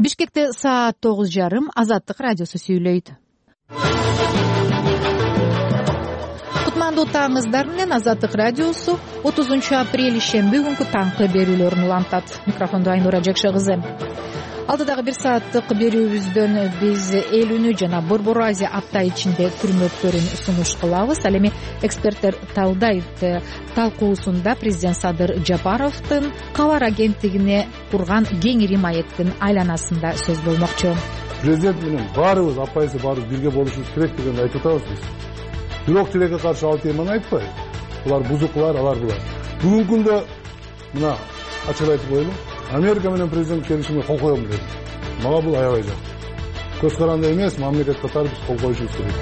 Бишкекте саат 9:30 Азаттык радиосу сүйлөйт. Кутмандуу таңыңыздар менен Азаттык радиосу 30 апрель ишемби күнкү таңкы берүүлөрүн улантат. Микрофондо Айнура Жакшы кызы. Алдыдагы 1 сааттык берүүбүздөн биз эл үнү жана Борбор Азия апта ичинде күрмөктөрүн сунуш кылабыз. Ал эми эксперттер талдайт талкуусунда президент Садыр Жапаровдун кабар агенттигине курган кеңири маектин айланасында сөз болмокчу. Президент менен баарыбыз апайсы баарыбыз бирге болушубуз керек дегенди айтып атабыз биз. Бирок тилекке каршы ал теманы айтпай, булар бузуклар, алар булар. Бүгүнкү күндө мына ачык айтып коелу. Америка менен президент келишимге кол коем деди. Мага бул аябай жакты. Көз каранды эмес, мамлекет катары биз кол коюшубуз керек.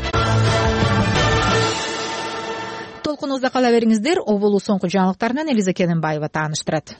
Толкунубузда кала бериңиздер. Оболу соңку жаңылыктарынан Элиза Кененбаева тааныштырат.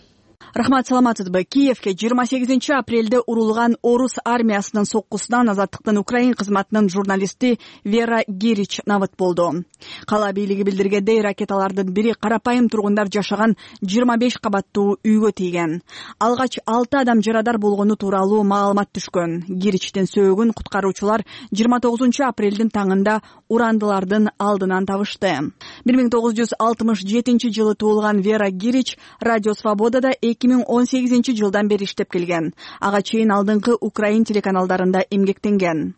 Рахмат, саламатсызбы? Киевке 28 апрелде урулган орус армиясынын соккусунан Азаттыктын Украин кызматынын журналисти Вера Гирич набыт болду. Кала бийлиги билдиргендей, ракеталардын бири карапайым тургундар жашаган 25 кабаттуу үйгө тийген. Алгач 6 адам жарадар болгону тууралуу маалымат түшкөн. Гиричтин сөөгүн куткаруучулар 29 апрелдин таңында урандылардын алдынан табышты. 1967 жылы туулган Вера Гирич Радио Свободада 2018 жылдан бери иштеп келген. Ага чейин алдыңкы Украин телеканалдарында эмгектенген.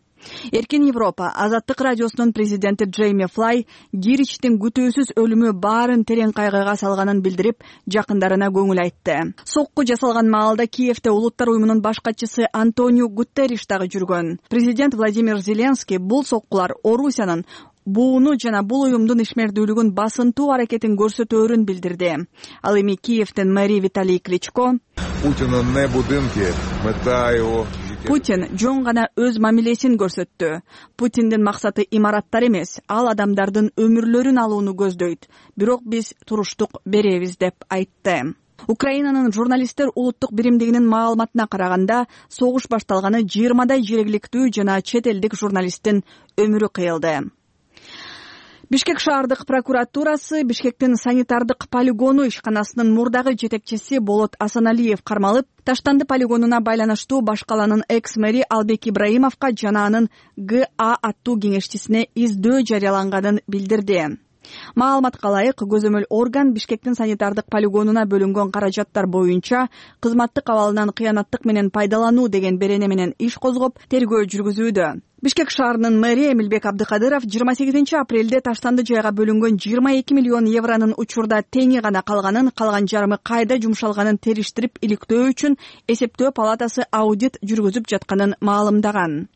Эркин Европа Азаттык радиосунун президенти Джейми Флай Гиричтин күтүүсүз өлүмү баарын терең кайгыга салганын билдирип, жакындарына көңүл айтты. Сокку жасалган маалда Киевте Улуттар уюмунун баш катчысы Антонио Гутерриш дагы жүргөн. Президент Владимир Зеленский бул соккулар Орусиянын бууну жана бул уюмдун ишмердүүлүгүн басынтуу аракетин көрсөтөөрүн билдирди. Ал эми Киевдин мэри Виталий Кличко Путин жөн гана өз мамилесин көрсөттү. Путиндин максаты имараттар эмес, ал адамдардын өмүрлөрүн алууну көздөйт. Бирок биз туруштук беребиз деп айтты. Украинанын журналисттер улуттук биримдигинин маалыматына караганда, согуш башталганы 20дай жергиликтүү жана чет элдик журналисттин өмүрү кыйылды. Бишкек шаардык прокуратурасы Бишкектин санитардык полигону ишканасынын мурдагы жетекчиси Болот Асаналиев кармалып, Таштанды полигонуна байланыштуу баш каланын экс-мэри Албек Ибраимовго жана анын ГА аттуу кеңешчисине издөө жарыяланганын билдирди. Маалыматка ылайык, көзөмөл орган Бишкектин санитардык полигонуна бөлүнгөн каражаттар боюнча кызматтык абалынан кыянаттык менен пайдалануу деген берене менен иш козгоп, тергөө жүргүзүүдө. Бишкек шаарынын мэри Эмилбек Абдыкадыров 28 апрелде Таштанды жайга бөлүнгөн 22 миллион евронун учурда теңи гана калганын, калган жарымы кайда жумшалганын териштирип иликтөө үчүн эсептөө палатасы аудит жүргүзүп жатканын маалымдаган.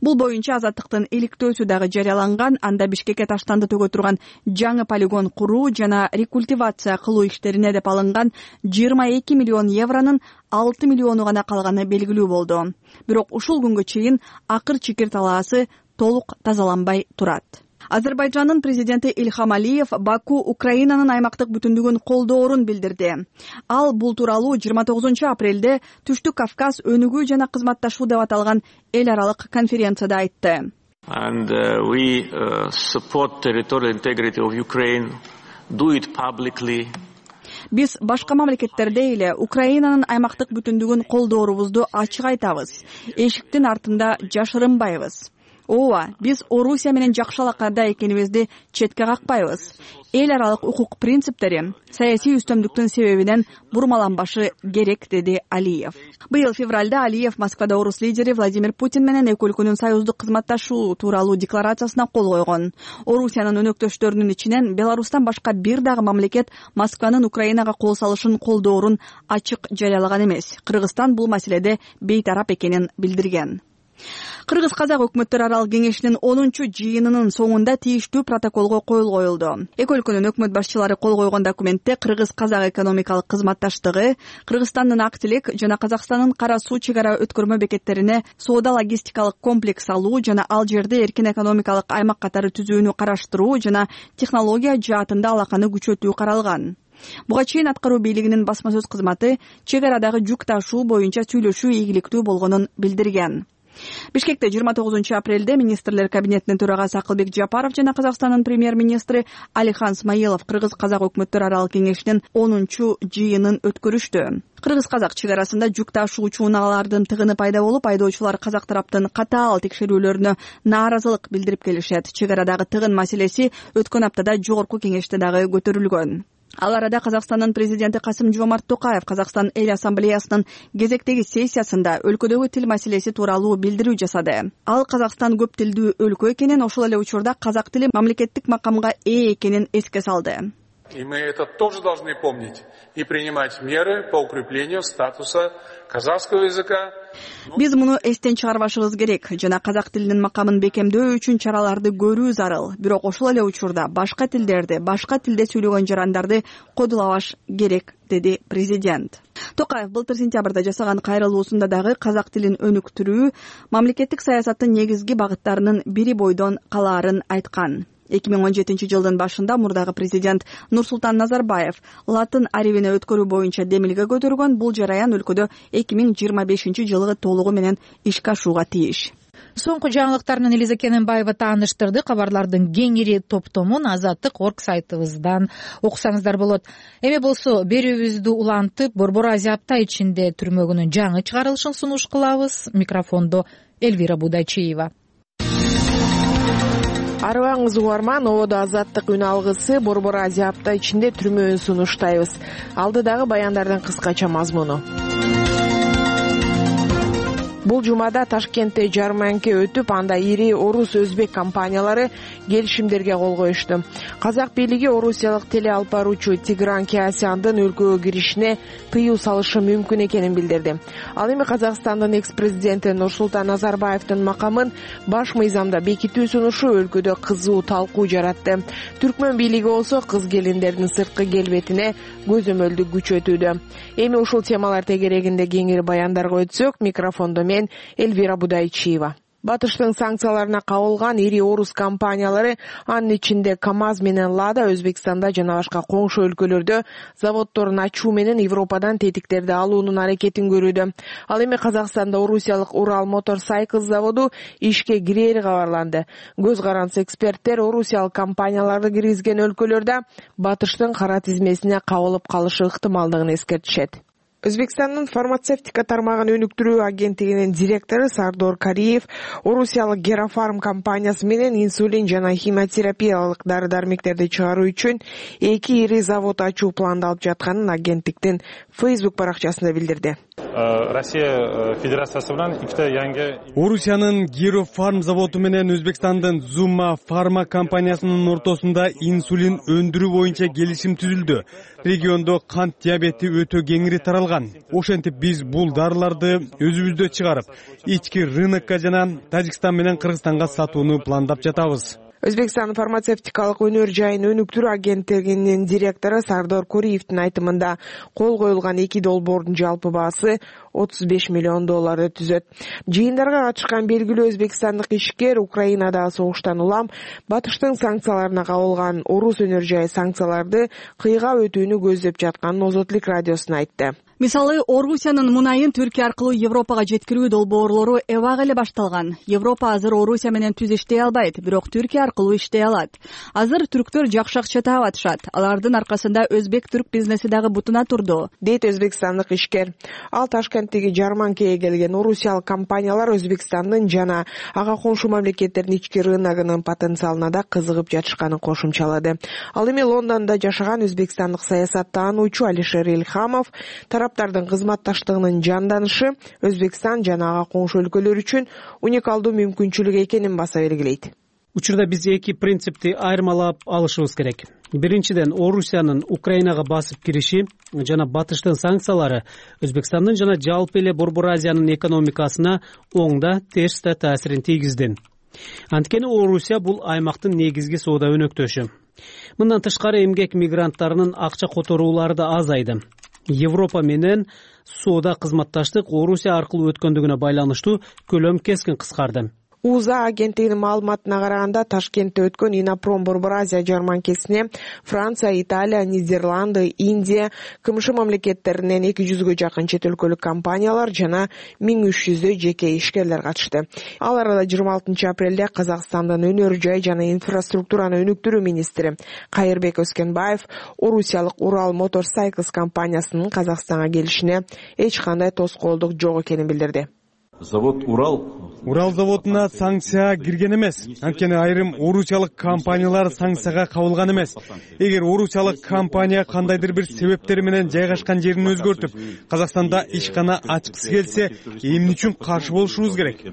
Бул боюнча Азаттыктын иликтөөсү дагы жарыяланган. Анда Бишкекке Таштанды төгө турган жаңы полигон куруу жана рекультивация кылуу иштерине деп алынган 22 миллион евронун 6 миллиону гана калганы белгилүү болду. Бирок ушул күнгө чейин акыр-чикир талаасы толук тазаланбай турат. Азербайжандын президенти Ильхам Алиев Баку Украинанын аймактык бүтүндүгүн колдоорун билдирди. Ал бул тууралуу 29 апрелде Түштүк Кавказ өнүгүү жана кызматташуу деп аталган эл аралык конференцияда айтты. And we support territorial integrity of Ukraine, do it publicly. Биз башка мамлекеттердей эле Украинанын аймактык бүтүндүгүн колдоорубузду ачык айтабыз. Эшиктин артында жашырынбайбыз. Ооба, биз Орусия менен жакшы алакада экенибизди четке какпайбыз. Эл аралык укук принциптери саясий үстөмдүктүн себебинен бурмаланбашы керек, деди Алиев. Быйыл февралда Алиев Москвада орус лидери Владимир Путин менен эки өлкөнүн союздук кызматташуу тууралуу декларациясына кол койгон. Орусиянын өнөктөштөрүнүн ичинен Беларустан башка бир дагы мамлекет Москванын Украинага кол салышын колдоорун ачык жарыялаган эмес. Кыргызстан бул маселеде бейтарап экенин билдирген. Кыргыз-казак өкмөттөр аралык кеңешинин 10-жыйынынын соңунда тийиштүү протоколго кол коюлду. Эки өлкөнүн өкмөт башчылары кол койгон документте кыргыз-казак экономикалык кызматташтыгы, Кыргызстандын Актилек жана Казакстандын Кара суу чек ара өткөрмө бекеттерине соода-логистикалык комплекс алуу жана ал жерде эркин экономикалык аймак катары түзүүнү караштыруу жана технология жаатында алаканы күчөтүү каралган. Буга чейин аткаруу бийлигинин басма сөз кызматы чек арадагы жүк ташуу боюнча сүйлөшүү ийгиликтүү болгонун билдирген. Бишкекте 29-апрелде министрлер кабинетинин төрагасы Акылбек Жапаров жана Казакстандын премьер-министри Алихан Смаилов кыргыз-казак өкмөттөр аралык кеңешинин 10-жыйынын өткөрүштү. Кыргыз-казак чек арасында жүк ташуучу унаалардын тыгыны пайда болуп, айдоочулар казак тараптын катаал текшерүүлөрүнө нааразылык билдирип келишет. Чек арадагы тыгын маселеси өткөн аптада жогорку кеңеште дагы көтөрүлгөн. Ал арада Казакстандын президенти Касым-Жомарт Токаев Казакстан эл ассамблеясынын кезектеги сессиясында өлкөдөгү тил маселеси тууралуу билдирүү жасады. Ал Казакстан көп тилдүү өлкө экенин, ошол эле учурда казак тили мамлекеттик макамга ээ экенин эске салды. И мы это тоже должны помнить и принимать меры по укреплению статуса казахского языка. Биз муну эстен чыгарбашыбыз керек жана казак тилинин макамын бекемдөө үчүн чараларды көрүү зарыл. Бирок ошол эле учурда башка тилдерди, башка тилде сүйлөгөн жарандарды кодулабаш керек, деди президент. Токаев былтыр сентябрда жасаган кайрылуусунда дагы казак тилин өнүктүрүү мамлекеттик саясаттын негизги багыттарынын бири бойдон калаарын айткан. 2017-жылдын башында мурдагы президент Нурсултан Назарбаев латын арибине өткөрүү боюнча демилге көтөргөн. Бул жараян өлкөдө 2025-жылы толугу менен ишке ашууга тийиш. Соңку жаңылыктарынан Элиза Кененбаева тааныштырды. Кабарлардын кеңири топтомун Азаттык.орг сайтыбыздан окусаңыздар болот. Эми болсо берүүбүздү улантып, Борбор Азия апта ичинде түрмөгүнүн жаңы чыгарылышын сунуш кылабыз. Микрофондо Эльвира Будайчиева. Арыбаңыз угарман, ободо Азаттык үн алгысы Борбор Азия апта ичинде түрмөөн сунуштайбыз. Алдыдагы баяндардын кыскача мазмуну. Бул жумада Ташкентте жарманка өтүп, анда ири орус өзбек компаниялары келишимдерге кол коюшту. Казак бийлиги орусиялык теле алып баруучу Тигран Кеасяндын өлкөгө киришине тыюу салышы мүмкүн экенин билдирди. Ал эми Казакстандын экс-президенти Нурсултан Назарбаевдин макамын баш мыйзамда бекитүү сунушу өлкөдө кызуу талкуу жаратты. Түркмөн бийлиги болсо кыз келиндердин сырткы келбетине көзөмөлдү күчөтүүдө. Эми ушул темалар тегерегинде кеңири баяндарга өтсөк, микрофондо мен Эльвира Будайчиева. Батыштын санкцияларына кабылган ири орус компаниялары, анын ичинде КАМАЗ менен Лада, Өзбекстанда жана башка коңшу өлкөлөрдө заводдорун ачуу менен Европадан тетиктерди алуунун аракетин көрүүдө. Ал эми Казакстанда орусиялык Урал Motorcycles заводу ишке кирери кабарланды. Көз каранс эксперттер орусиялык компанияларды киргизген өлкөлөрдө Батыштын кара тизмесине кабылып калышы ыктымалдыгын эскертишет. Өзбекстандын фармацевтика тармагын өнүктүрүү агенттигинин директору Сардор Кариев орусиялык Герафарм компаниясы менен инсулин жана химиотерапиялык дары-дармектерди чыгаруу үчүн 2 ири завод ачуу пландалып жатканын агенттиктин Facebook баракчасында билдирди. Россия Федерациясы менен икте yangi Орусиянын Герафарм заводу менен Өзбекстандын Zuma Pharma компаниясынын ортосунда инсулин өндүрүү боюнча келишим түзүлдү. Региондо кант диабети өтө кеңири таралган. Ошентип биз бул дарыларды өзүбүздө чыгарып, ички рынокко жана Тажикстан менен Кыргызстанга сатууну пландап жатабыз. Өзбекстан фармацевтикалык өнөр жайын өнүктүрүү агенттигинин директору Сардор Куриевдин айтымында кол коюлган 2 долбоордун жалпы баасы $35 миллион түзөт. Жыйындарга катышкан белгилүү өзбекстандык ишкер Украинадагы согуштан улам Батыштын санкцияларына кабылган орус өнөр жайы санкцияларды кыйгап өтүүнү көздөп жатканын Озотлук радиосуна айтты. Мисалы, Орусиянын мунайын Түркия аркылуу Европага жеткирүү долбоорлору эбак эле башталган. Европа азыр Орусия менен түз иштей албайт, бирок Түркия аркылуу иштей алат. Азыр түрктөр жакшы акча таап атышат. Алардын аркасында өзбек-түрк бизнеси дагы бутуна турду, дейт өзбекстандык ишкер. Ал Ташкенттеги жарманкага келген орусиялык компаниялар Өзбекстандын жана ага коңшу мамлекеттердин ички рыногунун потенциалына да кызыгып жатышканын кошумчалады. Ал эми Лондондо жашаган өзбекстандык саясаттануучу Алишер Илхамов тараптардын кызматташтыгынын жанданышы Өзбекстан жана ага коңшу өлкөлөр үчүн уникалдуу мүмкүнчүлүк экенин баса белгилейт. Учурда биз 2 принципти айырмалап алышыбыз керек. Биринчиден, Орусиянын Украинага басып кириши жана Батыштын санкциялары Өзбекстандын жана жалпы эле Борбор Азиянын экономикасына оң да терс да таасирин тийгизди. Анткени Орусия бул аймактын негизги соода өнөктөшү. Мындан тышкары эмгек мигранттарынын акча которуулары да азайды. Европа менен соода кызматташтык Орусия аркылуу өткөндүгүнө байланыштуу көлөм кескин кыскарды. УЗА агенттигинин маалыматына караганда Ташкентте өткөн Инопром Борбор Азия жарманкесине Франция, Италия, Нидерланды, Индия, КМШ мамлекеттеринен 200гө жакын чет өлкөлүк компаниялар жана 1300 жеке ишкерлер катышты. Ал арада 26 апрелде Казакстандын өнөр жай жана инфраструктураны өнүктүрүү министри Кайырбек Өскенбаев орусиялык Урал Motorcycles компаниясынын Казакстанга келишине эч кандай тоскоолдук жок экенин билдирди. Завод Урал заводуна санкция кирген эмес. Анткени айрым орусиялык компаниялар санкцияга кабылган эмес. Эгер орусиялык компания кандайдыр бир себептер менен жайгашкан жерин өзгөртүп, Казакстанда ишкана ачкысы келсе, эмне үчүн каршы болушубуз керек?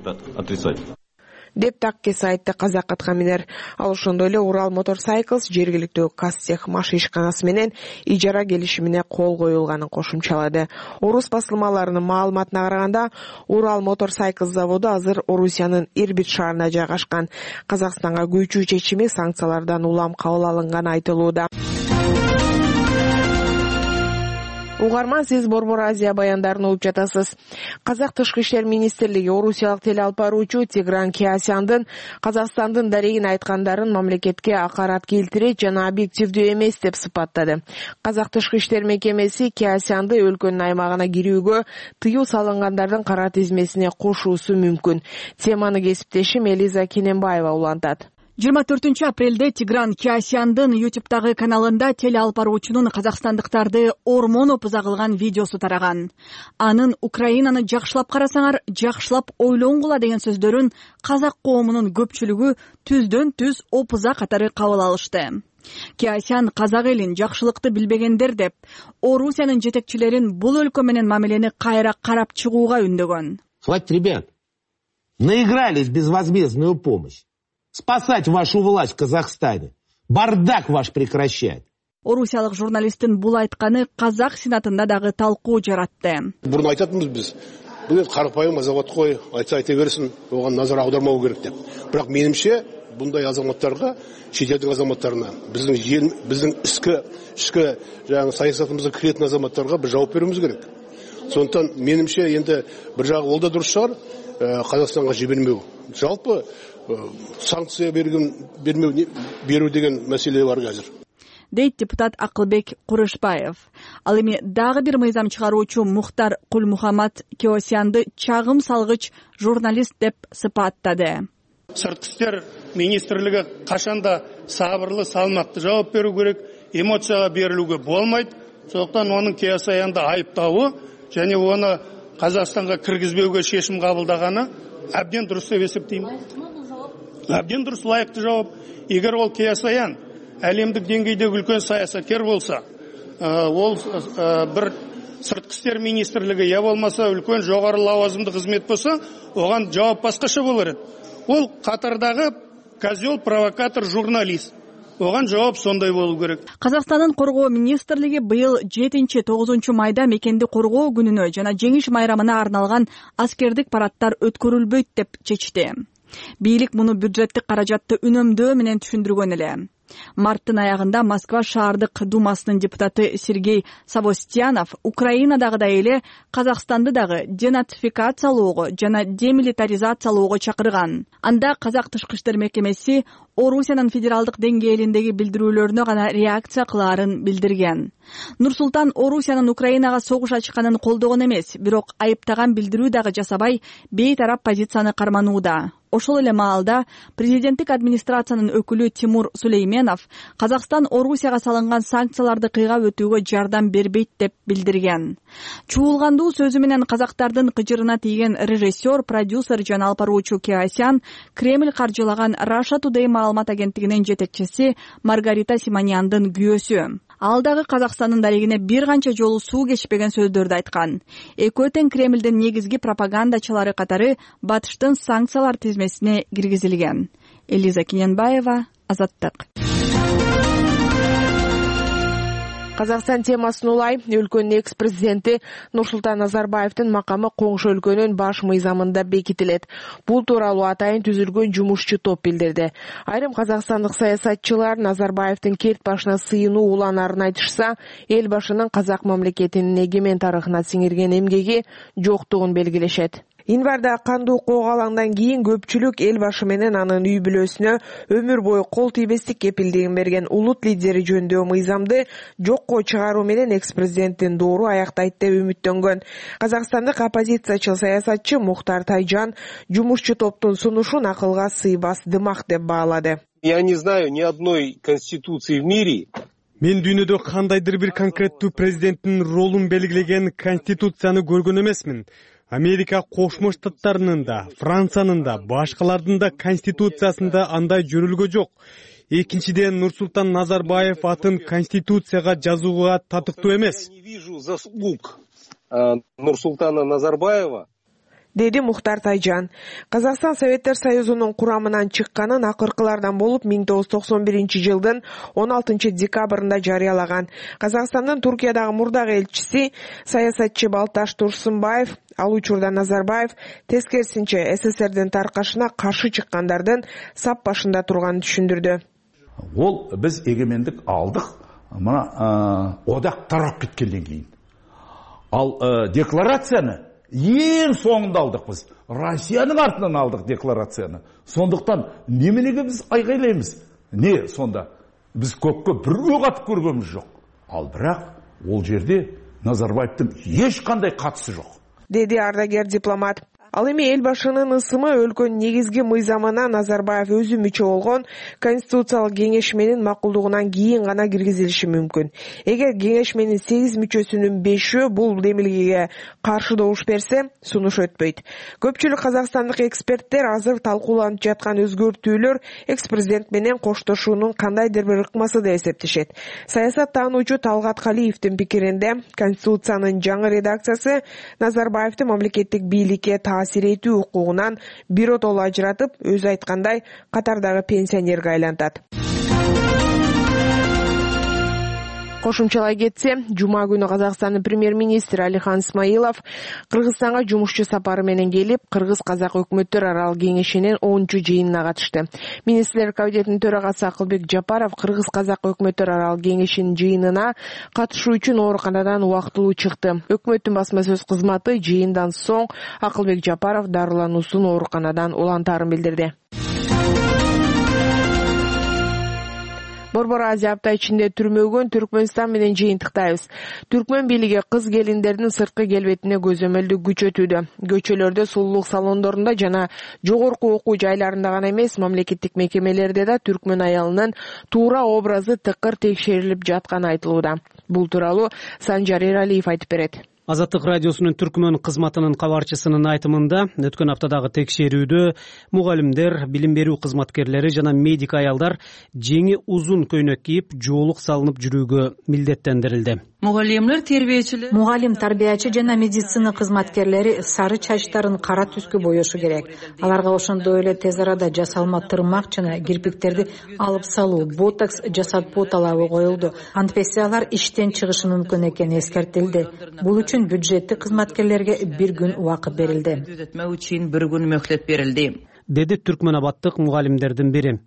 деп таккеси айтты казак аткаминер. Ал ошондой эле Урал Motorcycles жергиликтүү Казтех маш ишканасы менен ижара келишимине кол коюлганын кошумчалады. Орус басылмаларынын маалыматына караганда, Урал Motorcycles заводу азыр Орусиянын Ирбит шаарында жайгашкан. Казакстанга көчүү чечими санкциялардан улам кабыл алынганы айтылууда. Угарман, сиз Борбор Азия баяндарын угуп жатасыз. Казак Тышкы иштер министрлиги орусиялык телеалпаруучу Тигран Кеосяндын Казакстандын дарегин айткандарын мамлекетке акарат келтирет жана объективдүү эмес деп сыпаттады. Казак Тышкы иштер мекемеси Кеосянды өлкөнүн аймагына кирүүгө тыюу салынгандардын кара тизмесине кошуусу мүмкүн. Теманы кесиптешим Элиза Кененбаева улантат. 24 апрелде Тигран Кеосяндын YouTube'дагы каналында телеалпаруучунун казакстандыктарды ормон опуза кылган видеосу тараган. Анын Украинаны жакшылап карасаңар, жакшылап ойлоңгула деген сөздөрүн казак коомунун көпчүлүгү түздөн түз опуза катары кабыл алышты. Кеосян казак элин жакшылыкты билбегендер деп, Орусиянын жетекчилерин бул өлкө менен мамилени кайра карап чыгууга үндөгөн. Хватит, ребят, наигрались безвозмездную помощь. Спасать вашу власть в Казахстане. Бардак ваш прекращать. Орусиялык журналисттин бул айтканы казак сенатында дагы талкуу жаратты. Бурун айтатынбыз биз. Бул карапайым азамат кой, айта берсин, оган назар аудармау керек деп. Бирок менимче bunday азаматтарга, шетелдик азаматтарына, биздин ички жаңы саясатыбызга киретін азаматтарга бир жооп берүүбүз керек. Сондықтан менимче енді бір жағы ол да дұрыс шығар, Қазақстанға жібермеу. Жалпы санкция беру деген мәселе бар қазір. Дейт депутат Акылбек Курышбаев. Ал эми дагы бир мыйзам чыгаруучу Мухтар Кулмухаммад Кеосянды чагым салгыч журналист деп сыпаттады. Сыртқы иштер министрлиги кашанда сабырлы, салмактуу жооп берүү керек, эмоцияга берилүүгө болмойт. Сондықтан оның Кеосянды айыптауы және оны Қазақстанға кіргізбеуге шешім қабылдағаны әбден дұрыс деп есептеймін. Әбден дұрыс, лайықты жауап. Егер ол Кеосян әлемдік деңгейде үлкен саясаткер болса, ол бір сыртқы істер министрлігі я болмаса үлкен жоғары лауазымды қызмет болса, оған жауап басқаша болар еді. Ол Қатардағы козел, провокатор, журналист. Оған жооп сондай болуу керек. Казакстандын коргоо министрлиги быйыл 7-9 майда мекенди коргоо күнүнө жана жеңиш майрамына арналган аскердик парадтар өткөрүлбөйт деп чечти. Бийлик муну бюджеттик каражатты үнөмдөө менен түшүндүргөн эле. Марттын аягында Москва шаардык думасынын депутаты Сергей Савостьянов Украинадагыдай эле Казакстанды дагы денацификациялоого жана демилитаризациялоого чакырган. Анда Казак Тышкы иштер мекемеси Орусиянын федералдык деңгээлиндеги билдирүүлөрүнө гана реакция кылаарын билдирген. Нур-Султан Орусиянын Украинага согуш ачканын колдогон эмес, бирок айыптаган билдирүү дагы жасабай, бейтарап позицияны карманууда. Ошол эле маалда президенттик администрациянын өкүлү Тимур Сулейменов Казакстан Орусияга салынган санкцияларды кыйгап өтүүгө жардам бербейт деп билдирген. Чуулгандуу сөзү менен казактардын кыжырына тийген режиссер, продюсер жана алпаруучу Кеосян Кремль каржылаган Russia Today маалымат агенттигинин жетекчиси Маргарита Симоньяндын күйөөсү. Ал дагы Казакстандын дарегине бир канча жолу суу кечпеген сөздөрдү айткан. Экөө тең Кремлдин негизги пропагандачылары катары батыштын санкциялар тизмесине киргизилген. Элиза Кененбаева, Азаттык. Казакстан темасын улай, өлкөнүн экс-президенти Нурсултан Назарбаевдин макамы коңшу өлкөнүн баш мыйзамында бекитилет. Бул тууралуу атайын түзүлгөн жумушчу топ билдирди. Айрым казакстандык саясатчылар Назарбаевдин керт башына сыйынуу уланаарын айтышса, эл башынын казак мамлекетинин эгемен тарыхына сиңирген эмгеги жоктугун белгилешет. Январда кандуу коогалаңдан кийин көпчүлүк эл башы менен анын үй бүлөсүнө өмүр бою кол тийбестик кепилдигин берген улут лидери жөнүндө мыйзамды жокко чыгаруу менен экс-президенттин доору аяктайт деп үмүттөнгөн. Казакстандык оппозициячыл саясатчы Мухтар Тайжан жумушчу топтун сунушун акылга сыйбас дымак деп баалады. Я не знаю ни одной конституции в мире. Мен дүйнөдө кандайдыр бир конкреттүү президенттин ролун белгилеген конституцияны көргөн эмесмин. Америка Кошмо Штаттарынын да, Франциянын да, башкалардын да конституциясында андай жөрүлгө жок. Экинчиден, Нурсултан Назарбаев атын конституцияга жазууга татыктуу эмес. Не вижу заслуг Нурсултана Назарбаева, деди Мухтар Тайжан. Казакстан Советтер Союзунун курамынан чыкканын акыркылардан болуп 1991 16 декабрында жарыялаган. Казакстандын Туркиядагы мурдагы элчиси саясатчы Балташ Турсунбаев ал учурда Назарбаев тескерисинче СССРдин таркашына каршы чыккандардын сап башында турганын түшүндүрдү. Ол биз эгемендик алдык, мына одак тарап кеткенден кийин. Ал декларацияны ең соңында алдық біз. Россияның артынан алдық декларацияны. Сондықтан неменеге біз айғайлаймыз? Не сонда? Біз көкке бір өк атып көргеніміз жоқ. Ал бірақ ол жерде Назарбаевтың ешқандай қатысы жоқ. Деди ардагер дипломат. Ал эми эл башынын ысымы өлкөнүн негизги мыйзамына Назарбаев өзү мүчө болгон Конституциялык кеңешменин макулдугунан кийин гана киргизилиши мүмкүн. Эгер кеңешменин 8 мүчөсүнүн 5-өө бул демилгеге каршы добуш берсе, сунуш өтпөйт. Көпчүлүк казакстандык эксперттер азыр талкууланып жаткан өзгөртүүлөр экс-президент менен коштошуунун кандайдыр бир ыкмасы деп эсептешет. Саясат таануучу Талгат Калиевдин пикиринде, Конституциянын жаңы редакциясы Назарбаевди мамлекеттик бийликке таасир этүү укугунан биротоло ажыратып, өзү айткандай катардагы пенсионерге айлантат. Кошумчалай кетсе, жума күнү Казакстандын премьер-министри Алихан Смайылов Кыргызстанга жумушчу сапары менен келип, Кыргыз-Казак өкмөттөр аралык кеңешинин 10-чу жыйынына катышты. Министрлер кабинетинин төрагасы Акылбек Жапаров Кыргыз-Казак өкмөттөр аралык кеңешинин жыйынына катышуу үчүн ооруканадан убактылуу чыкты. Өкмөттүн басма сөз кызматы жыйындан соң Акылбек Жапаров дарылануусун ооруканадан улантаарын билдирди. Борбор Азия апта ичинде түрмөгөн Түркмөнстан менен жыйынтыктайбыз. Түркмөн бийлиги кыз келиндердин сырткы келбетине көзөмөлдү күчөтүүдө. Көчөлөрдө, сулуулук салондорунда жана жогорку окуу жайларында гана эмес, мамлекеттик мекемелерде да түркмөн аялынын туура образы тыкыр текшерилип жатканы айтылууда. Бул тууралуу Санжар Эралиев айтып берет. Азаттык радиосунун түркмөн кызматынын кабарчысынын айтымында, өткөн аптадагы текшерүүдө мугалимдер, билим берүү кызматкерлери жана медик аялдар жеңи узун көйнөк кийип, жоолук салынып жүрүүгө милдеттендирилди. Мугалим, тарбиячы жана медицина кызматкерлери сары чачтарын кара түскө боешу керек. Аларга ошондой эле тез арада жасалма тырмак жана кирпиктерди алып салуу, ботокс жасатпоо талабы коюлду. Антпесе алар иштен чыгышы мүмкүн экени эскертилди. Бул үчүн бюджеттик кызматкерлерге 1 күн убакыт берилди. Деди Түркмөн абаддык мугалимдердин бири.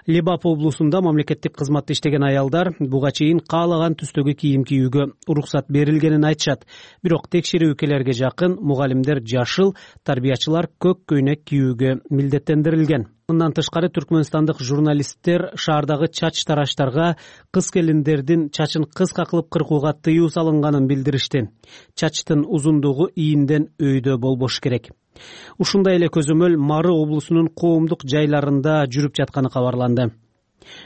Лебап облусунда мамлекеттик кызматта иштеген аялдар буга чейин каалаган түстөгү кийим кийүүгө уруксат берилгенин айтышат. Бирок текшерүүкелерге жакын мугалимдер жашыл, тарбиячылар көк көйнөк кийүүгө милдеттендирилген. Мындан тышкары түркмөнстандык журналисттер шаардагы чач тараштарга кыз келиндердин чачын кыска кылып кыркууга тыюу салынганын билдиришти. Чачтын узундугу ийинден өйдө болбош керек. Ушундай эле көзөмөл Мары облусунун коомдук жайларында жүрүп жатканы кабарланды.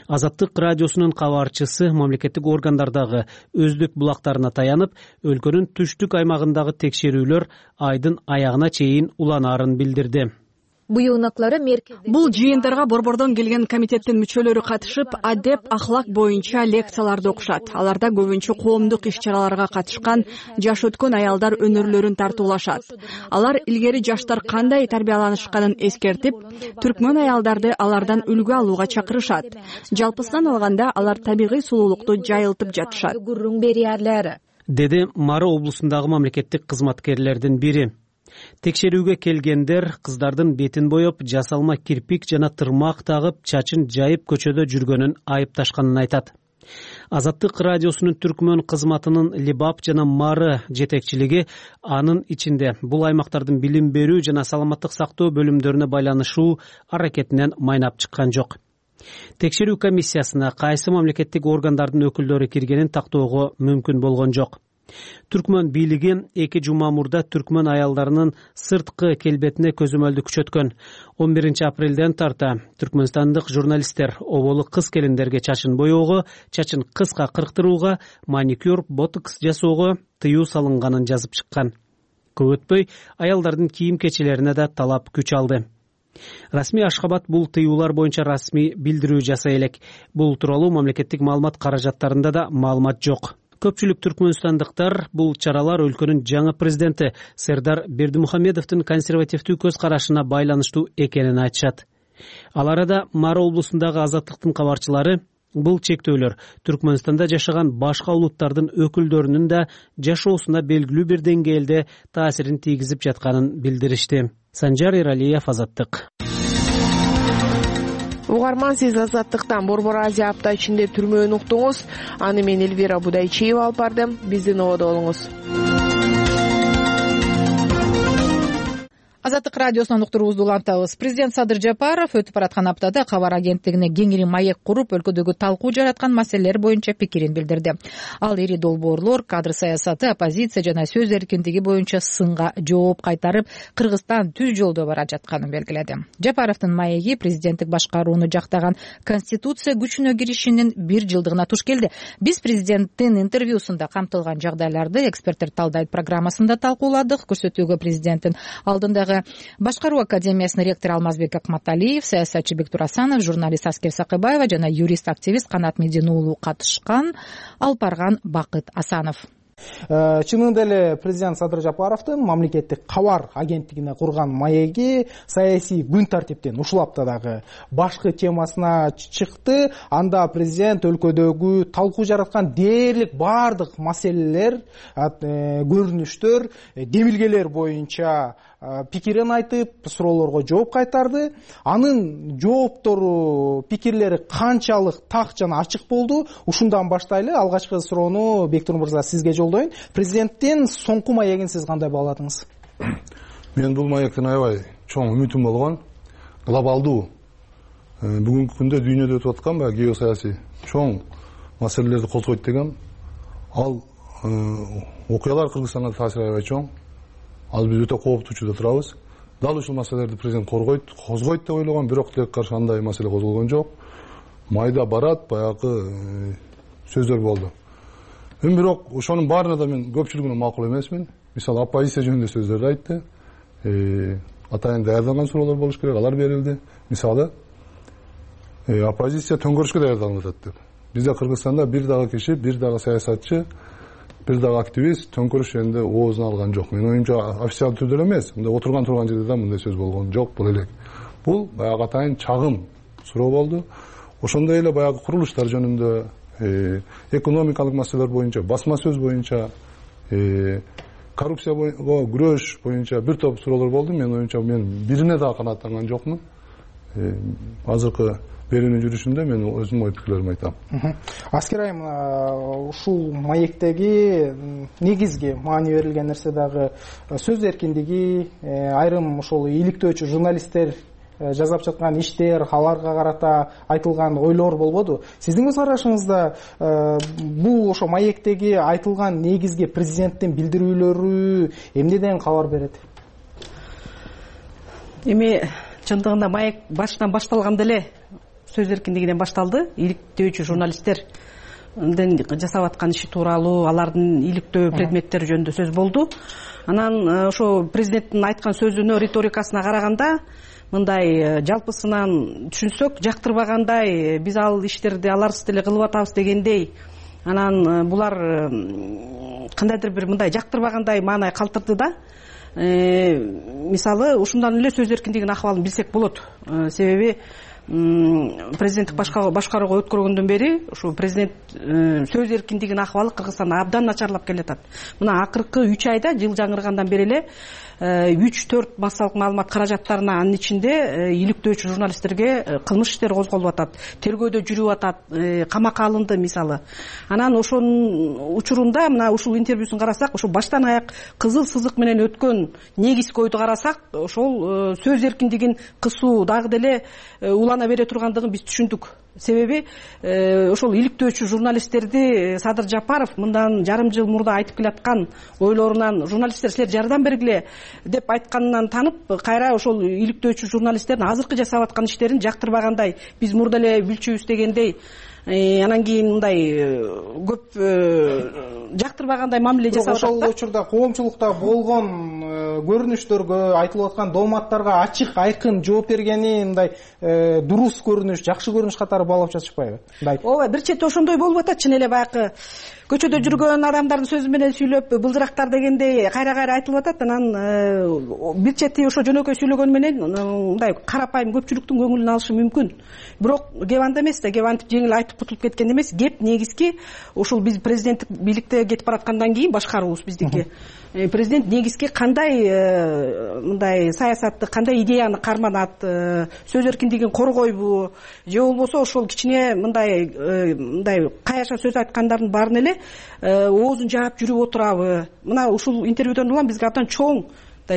Азаттык радиосунун кабарчысы мамлекеттик органдардагы өздүк булактарына таянып, өлкөнүн түштүк аймагындагы текшерүүлөр айдын аягына чейин уланаарын билдирди. Бул жыйындарга борбордон келген комитеттин мүчөлөрү катышып, адеп, ахлак боюнча лекцияларды окушат. Аларда көбүнчө коомдук иш-чараларга катышкан жаш өткөн аялдар өнөрлөрүн тартуулашат. Алар илгери жаштар кандай тарбияланышканын эскертип, түркмөн аялдарды алардан үлгү алууга чакырышат. Жалпысынан алганда алар табигый сулуулукту жайылтып жатышат, деди Мары облусундагы мамлекеттик кызматкерлердин бири. Текшерүүгө келгендер кыздардын бетин боеп, жасалма кирпик жана тырмак тагып, чачын жайып көчөдө жүргөнүн айыпташканын айтат. Азаттык радиосунун түркмөн кызматынын Либап жана Мары жетекчилиги анын ичинде бул аймактардын билим берүү жана саламаттык сактоо бөлүмдөрүнө байланышуу аракетинен майнап чыккан жок. Текшерүү комиссиясына кайсы мамлекеттик органдардын өкүлдөрү киргенин тактоого мүмкүн болгон жок. Түркмөн бийлиги 2 жума мурда түркмөн аялдарынын сырткы келбетине көзөмөлдү күчөткөн. 11 апрелден тарта түркмөнстандык журналисттер оболу кыз келиндерге чачын боёого, чачын кыска кырктырууга, маникюр, ботокс жасоого тыюу салынганын жазып чыккан. Көп өтпөй аялдардын кийим кечелерине да талап күч алды. Расмий Ашхабад бул тыюулар боюнча расмий билдирүү жасай элек. Бул тууралуу мамлекеттик маалымат каражаттарында да маалымат жок. Көпчүлүк түркмөнстандыктар бул чаралар өлкөнүн жаңы президенти Сердар Бердимухамедовдун консервативдүү көз карашына байланыштуу экенин айтышат. Ал арада Мары облусундагы Азаттыктын кабарчылары бул чектөөлөр Түркмөнстанда жашаган башка улуттардын өкүлдөрүнүн да жашоосуна белгилүү бир деңгээлде таасирин тийгизип жатканын билдиришти. Санжар Эралиев, Азаттык. Угарман, сиз Азаттыктан Борбор Азия апта ичинде түрмөөнү уктуңуз. Аны мен Элвира Будайчиева алып бардым. Биздин ободо болуңуз. Азаттык радиосунан уктуруубузду улантабыз. Президент Садыр Жапаров өтүп бараткан аптада кабар агенттигине кеңири маек куруп, өлкөдөгү талкуу жараткан маселелер боюнча пикирин билдирди. Ал ири долбоорлор, кадр саясаты, оппозиция жана сөз эркиндиги боюнча сынга жооп кайтарып, Кыргызстан түз жолдо бара жатканын белгиледи. Жапаровдун маеги президенттик башкарууну жактаган Конституция күчүнө киришинин 1 жылдыгына туш келди. Биз президенттин интервьюсунда камтылган жагдайларды эксперттер талдайт программасында талкууладык. Көрсөтүүгө президенттин алдындагы Башкаруу академиясынын ректору Алмазбек Акматалиев, саясатчы Бектур Асанов, журналист Аскер Сакыбаева жана юрист-активист Канат Медин уулу катышкан. Алып барган Бакыт Асанов. Чынында эле президент Садыр Жапаровдун мамлекеттик кабар агенттигине курган маеги саясий күн тартиптен ушул аптадагы башкы темасына чыкты. Анда президент өлкөдөгү талкуу жараткан дээрлик баардык маселелер, көрүнүштөр, демилгелер боюнча пикирин айтып, суроолорго жооп кайтарды. Анын жооптору, пикирлери канчалык так жана ачык болду? Ушундан баштайлы. Алгачкы суроону Бектур мырза сизге жолдойм. Президенттин соңку маегин сиз кандай бааладыңыз? Мен бул маектен аябай чоң үмүтүм болгон. Глобалдуу бүгүнкү күндө дүйнөдө өтүп аткан геосаясий чоң маселелерди козгойт деген. Ал окуялар Кыргызстанга таасири аябай чоң. Ал биз өтө кооптуучуда турабыз. Дал ушул маселелерди президент козгойт деп ойлогон, бирок тилекке каршы андай маселе козголгон жок. Майда барат, баягы сөздөр болду. Бирок ошонун баарына да мен көпчүлүгүнө макул эмесмин. Мисалы, оппозиция жөнүндө сөздөрдү айтты. Атайын даярдалган суроолор болуш керек, алар берилди. Мисалы, оппозиция төңкөрүшкө даярдалып атат деп. Бизде Кыргызстанда бир дагы киши, бир дагы саясатчы, бир дагы активист төңкөрүш жөнүндө оозун алган жок. Мен оюмча официалдуу түрдө эмес, мындай отурган турган жерде да мындай сөз болгон жок. Бул элек. Бул баягы атайын чагым суроо болду. Ошондой эле баягы курулуштар жөнүндө, экономикалык маселелер боюнча, басма сөз боюнча, коррупцияга күрөш боюнча бир топ суроолор болду. Мен оюмча мен бирине дагы канааттанган жокмун. Азыркы берүүнүн жүрүшүндө мен өзүмдүн ой пикирлеримди айтам. Аскер айым, ушул маектеги негизги маани берилген нерсе дагы сөз эркиндиги, айрым ошол иликтөөчү журналисттер жасап жаткан иштер, аларга карата айтылган ойлор болбоду? Сиздин көз карашыңызда бул ошо маектеги айтылган негизги президенттин билдирүүлөрү эмнеден кабар берет? Эми чындыгында маек башынан башталганда эле сөз эркиндигинен башталды. Иликтөөчү журналисттердин жасап аткан иши тууралуу, алардын иликтөө предметтери жөнүндө сөз болду. Анан ошо президенттин айткан сөзүнө, риторикасына караганда, мындай жалпысынан түшүнсөк, жактырбагандай, биз ал иштерди аларсыз деле кылып атабыз дегендей, анан булар кандайдыр бир мындай жактырбагандай маанай калтырды да. Мисалы, ушундан эле сөз эркиндигинин акыбалын билсек болот. Себеби президенттик башкарууга өткөргөндөн бери ушу президент сөз эркиндигинин акыбалы Кыргызстанда абдан начарлап келатат. Мына акыркы 3 айда жыл жаңыргандан бери эле 3-4 массалык маалымат каражаттарына, анын ичинде иликтөөчү журналисттерге кылмыш иштери козголуп атат, тергөөдө жүрүп атат, камакка алынды мисалы. Анан ошонун учурунда мына ушул интервьюсун карасак, ошо баштан аяк кызыл сызык менен өткөн негизги ойду карасак, ошол сөз эркиндигин кысуу дагы деле улана бере тургандыгын биз түшүндүк. Себеби ошол иликтөөчү журналисттерди Садыр Жапаров мындан жарым жыл мурда айтып келаткан ойлорунан, журналисттер силер жардам бергиле деп айтканынан танып, кайра ошол иликтөөчү журналисттердин азыркы жасап аткан иштерин жактырбагандай, биз мурда эле билчүбүз дегендей, анан кийин мындай көп жактырбагандай мамиле жасап атат. Ошол учурда коомчулукта болгон көрүнүштөргө, айтылып аткан дооматтарга ачык, айкын жооп бергени мындай дурус көрүнүш, жакшы көрүнүш катары баалап жатышпайбы? Ооба, бир чети ошондой болуп атат. Чын эле баягы көчөдө жүргөн адамдардын сөзү менен сүйлөп, былжырактар дегендей кайра айтылып атат. Анан бир чети ошо жөнөкөй сүйлөгөнү менен мындай карапайым көпчүлүктүн көңүлүн алышы мүмкүн. Бирок кеп анда эмес да, кеп антип жеңил айтып кутулуп кеткен эмес. Кеп негизги ушул биз президенттик бийликте кетип бараткандан кийин башкаруубуз биздики. Президент негизги кандай мындай саясатты, кандай идеяны карманат, сөз эркиндигин коргойбу, же болбосо ошол кичине мындай каяша сөз айткандардын баарын эле оозун жаап жүрүп отурабы. Мына ушул интервьюдон улам бизге абдан чоң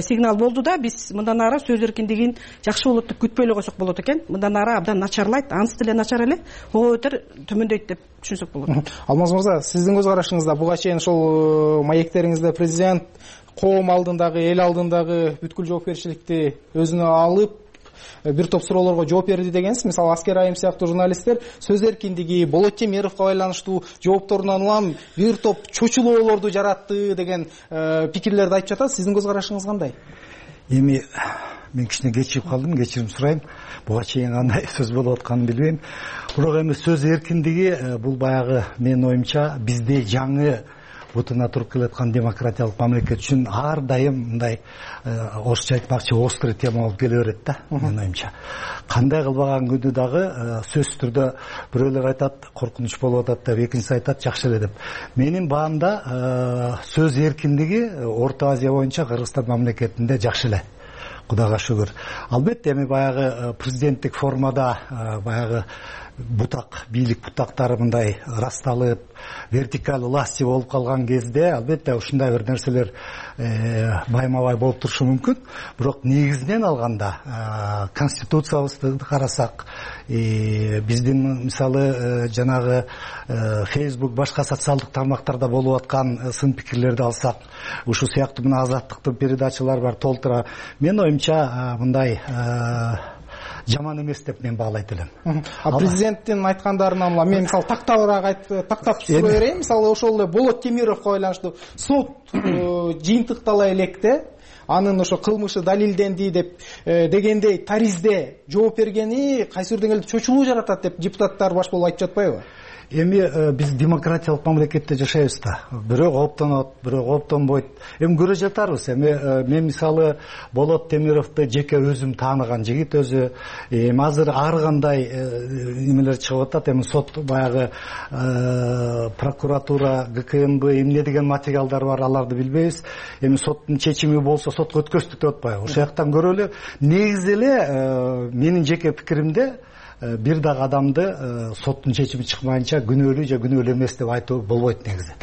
сигнал болду да, биз мындан ары сөз эркиндигин жакшы болот деп күтпөй эле койсок болот экен. Мындан ары абдан начарлайт, анысы деле начар эле, ого өтөр төмөндөйт деп түшүнсөк болот. Алмаз мырза, сиздин көз карашыңызда буга чейин ошол маектериңизде президент коом алдындагы, эл алдындагы бүткүл жоопкерчиликти өзүнө алып бир топ суроолорго жооп берди дегенсиз. Мисалы Аскер Айым сыяктуу журналисттер сөз эркиндиги, Болот Темировго байланыштуу жоопторунан улам бир топ чочулоолорду жаратты деген пикирлерди айтып жатат. Сиздин көз карашыңыз кандай? Эми мен кичине кечигип калдым, кечирим сурайм. Буга чейин кандай сөз болуп атканын билбейм. Бирок эми сөз эркиндиги бул баягы менин оюмча бизде жаңы бутуна туруп келаткан демократиялык мамлекет үчүн ар дайым мындай орусча айтмакчы острый тема болуп келе берет да, менин оюмча. Кандай кылбаган күндү дагы сөзсүз түрдө бирөөлөр айтат коркунуч болуп атат деп, экинчиси айтат жакшы эле деп. Менин баамда сөз эркиндиги Орто Азия боюнча Кыргызстан мамлекетинде жакшы эле. Кудайга шүгүр. Албетте эми баягы президенттик формада баягы бутак, бийлик бутактары мындай расталып, вертикаль власти болуп калган кезде албетте ушундай бир нерселер байма-бай болуп турушу мүмкүн. Бирок негизинен алганда конституциябызды карасак, биздин мисалы жанагы Facebook башка социалдык тармактарда болуп аткан сын пикирлерди алсак, ушул сыяктуу мына азаттыктын передачалары бар толтура. Мен оюмча мындай жаман эмес деп мен баалайт элем. Президенттин айткандарынан мен мисалы тактап сурай берейин. Мисалы ошол эле Болот Темировго байланыштуу сот жыйынтыктала электе, анын ошо кылмышы далилденди деп дегендей таризде жооп бергени кайсы бир деңгээлде чочулуу жаратат деп депутаттар баш болуп айтып жатпайбы? Эми биз демократиялык мамлекетте жашайбыз да. Бирөө кооптонот, бирөө кооптонбойт. Эми көрө жатарбыз. Эми мен мисалы Болот Темировду жеке өзүм тааныган жигит өзү. Эми азыр ар кандай эмелер чыгып атат. Эми сот баягы прокуратура, ГКМБ эмне деген материалдар бар, аларды билбейбиз. Эми соттун чечими болсо сотко өткөздүк деп атпайбы. Ошол жактан көрөлү эле. Негизи эле менин жеке пикиримде бир дагы адамды соттун чечими чыкмайынча күнөөлүү же күнөөлүү эмес деп айтуу болбойт негизи.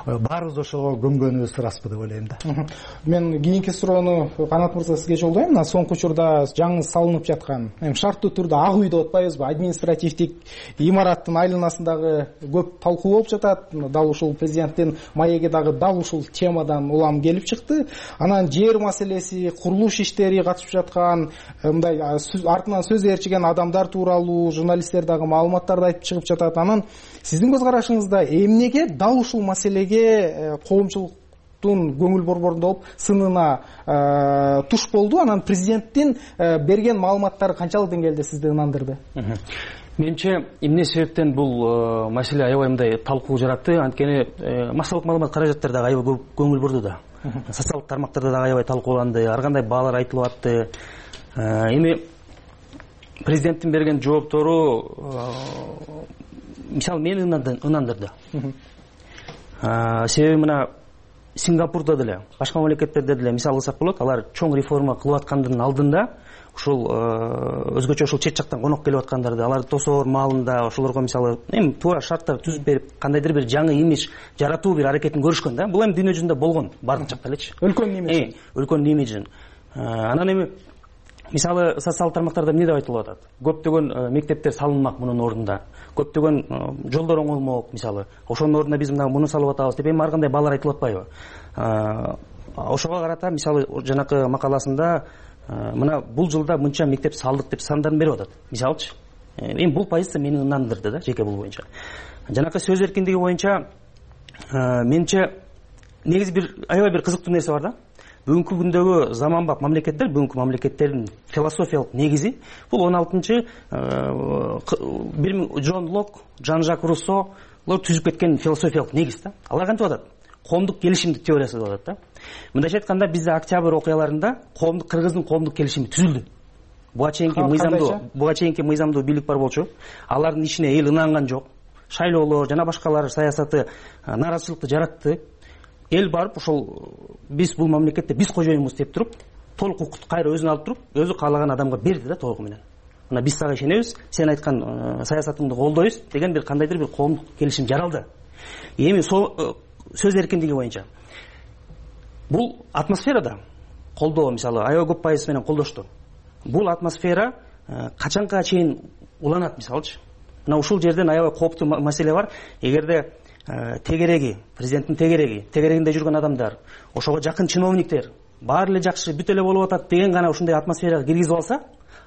Баарыбыз ошого көнгөнүбүз ыраспы деп ойлойм да. Мен кийинки суроону Канат мырза сизге жолдойм. Мына соңку учурда жаңы салынып жаткан, шарттуу түрдө ак үй деп атпайбызбы, административдик имараттын айланасындагы көп талкуу болуп жатат. Дал ушул президенттин маеги дагы дал ушул темадан улам келип чыкты. Анан жер маселеси, курулуш иштери катышып жаткан, мындай артынан сөз ээрчиген адамдар тууралуу журналисттер дагы маалыматтарды айтып чыгып жатат. Анан сиздин көз карашыңызда эмнеге дал ушул маселеге коомчулуктун көңүл борборунда болуп сынына туш болду? Анан президенттин берген маалыматтары канчалык деңгээлде сизди ынандырды? Менимче эмне себептен бул маселе аябай мындай талкуу жаратты? Анткени массалык маалымат каражаттары дагы аябай көп көңүл бурду да. Социалдык тармактарда дагы аябай талкууланды, ар кандай баалар айтылып атты. Эми президенттин берген жооптору мисалы мени ынандырды. Себеби мына Сингапурда деле, башка мамлекеттерде деле мисал кылсак болот, алар чоң реформа кылып аткандын алдында ушул өзгөчө ушул чет жактан конок келип аткандарды аларды тосоор маалында ошолорго мисалы эми туура шарттар түзүп берип кандайдыр бир жаңы имидж жаратуу бир аракетин көрүшкөн да. Бул эми дүйнө жүзүндө болгон бардык жакта элечи. Өлкөнүн имиджин. Анан эми мисалы социалдык тармактарда эмне деп айтылып атат? Көптөгөн мектептер салынмак мунун ордунда. Көптөгөн жолдор оңолмок мисалы. Ошонун ордуна биз муну салып атабыз деп эми ар кандай баалар айтылып атпайбы? Ошого карата мисалы жанакы макаласында мына бул жылда мынча мектеп салдык деп сандарын берип атат. Мисалычы. Эми бул позиция мени ынандырды да, жеке бул боюнча. Жанакы сөз эркиндиги боюнча менимче негизи бир аябай бир кызыктуу нерсе бар да. Бүгүнкү күндөгү заманбап мамлекеттер, бүгүнкү мамлекеттердин философиялык негизи бул 16-чы Джон Лок, Жан-Жак Руссолор түзүп кеткен философиялык негиз да. Алар кантип атат? Коомдук келишимдик теориясы деп атат да. Мындайча айтканда бизде октябрь окуяларында Кыргыздын коомдук келишими түзүлдү. Буга чейинки мыйзамдуу бийлик бар болчу. Алардын ишине эл ынанган жок. Шайлоолор жана башкалар саясаты нааразычылыкты жаратты. Эл барып ошол биз бул мамлекетте биз кожоюнбуз деп туруп, толук укукту кайра өзүнө алып туруп, өзү каалаган адамга берди да толугу менен. Мына биз сага ишенебиз, сен айткан саясатыңды колдойбуз деген бир кандайдыр бир коомдук келишим жаралды. Эми сөз эркиндиги боюнча бул атмосферада колдоо мисалы аябай көп пайыз менен колдошту. Бул атмосфера качанга чейин уланат мисалычы. Мына ушул жерден аябай кооптуу маселе бар. Эгерде тегереги, президенттин тегерегинде жүргөн адамдар, ошого жакын чиновниктер баары эле жакшы бүт эле болуп атат деген гана ушундай атмосферага киргизип алса,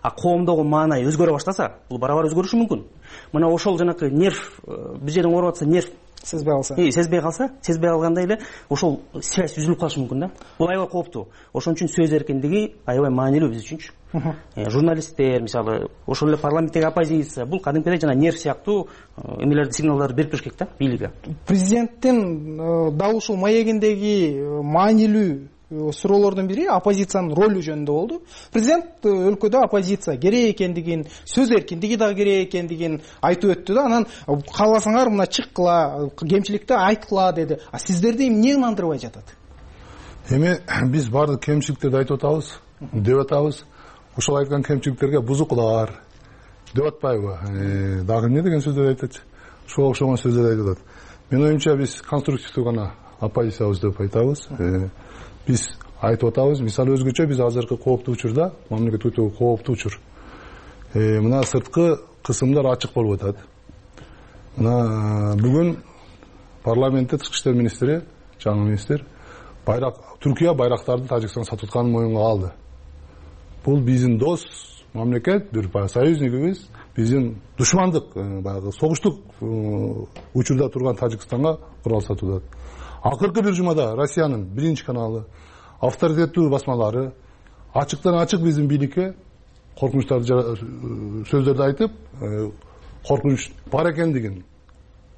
коомдогу маанай өзгөрө баштаса, бул барабар өзгөрүшү мүмкүн. Мына ошол жанакы нерв, бир жерден ооруп атса нерв сезбей калганда эле ошол связь үзүлүп калышы мүмкүн да. Бул аябай кооптуу. Ошон үчүн сөз эркиндиги аябай маанилүү биз үчүнчү. Журналисттер мисалы ошол эле парламенттеги оппозиция бул кадимкидей жана нерв сыяктуу эмелерди сигналдарды берип бериш керек да бийликке. Президенттин дал ушул маегиндеги маанилүү суроолордун бири оппозициянын ролу жөнүндө болду. Президент өлкөдө оппозиция керек экендигин, сөз эркиндиги да керек экендигин айтып өттү да. Анан кааласаңар мына чыккыла, кемчиликти айткыла деди. А сиздерди эмне ынандырбай жатат? Эми биз баардык кемчиликтерди айтып атабыз, деп атабыз. Ошол айткан кемчиликтерге бузуклар деп атпайбы? Дагы эмне деген сөздөрдү айтат? Ошого окшогон сөздөрдү айтып атат. Менин оюмча биз конструктивдүү гана оппозициябыз деп айтабыз. Биз айтып атабыз, мисалы өзгөчө биз азыркы кооптуу учурда, мамлекет өтө кооптуу учур. Мына сырткы кысымдар ачык болуп атат. Мына бүгүн парламентте тышкы иштер министри, жаңы министр, Түркия байрактарды Тажикстанга сатып атканын моюнга алды. Бул биздин дос мамлекет, бир союзникибиз, биздин душмандык, баягы согуштук учурда турган Тажикстанга курал сатып атат. Акыркы бир жумада Россиянын биринчи каналы, авторитеттүү басмалары ачыктан ачык биздин бийликке коркунучтарды сөздөрдү айтып, коркунуч бар экендигин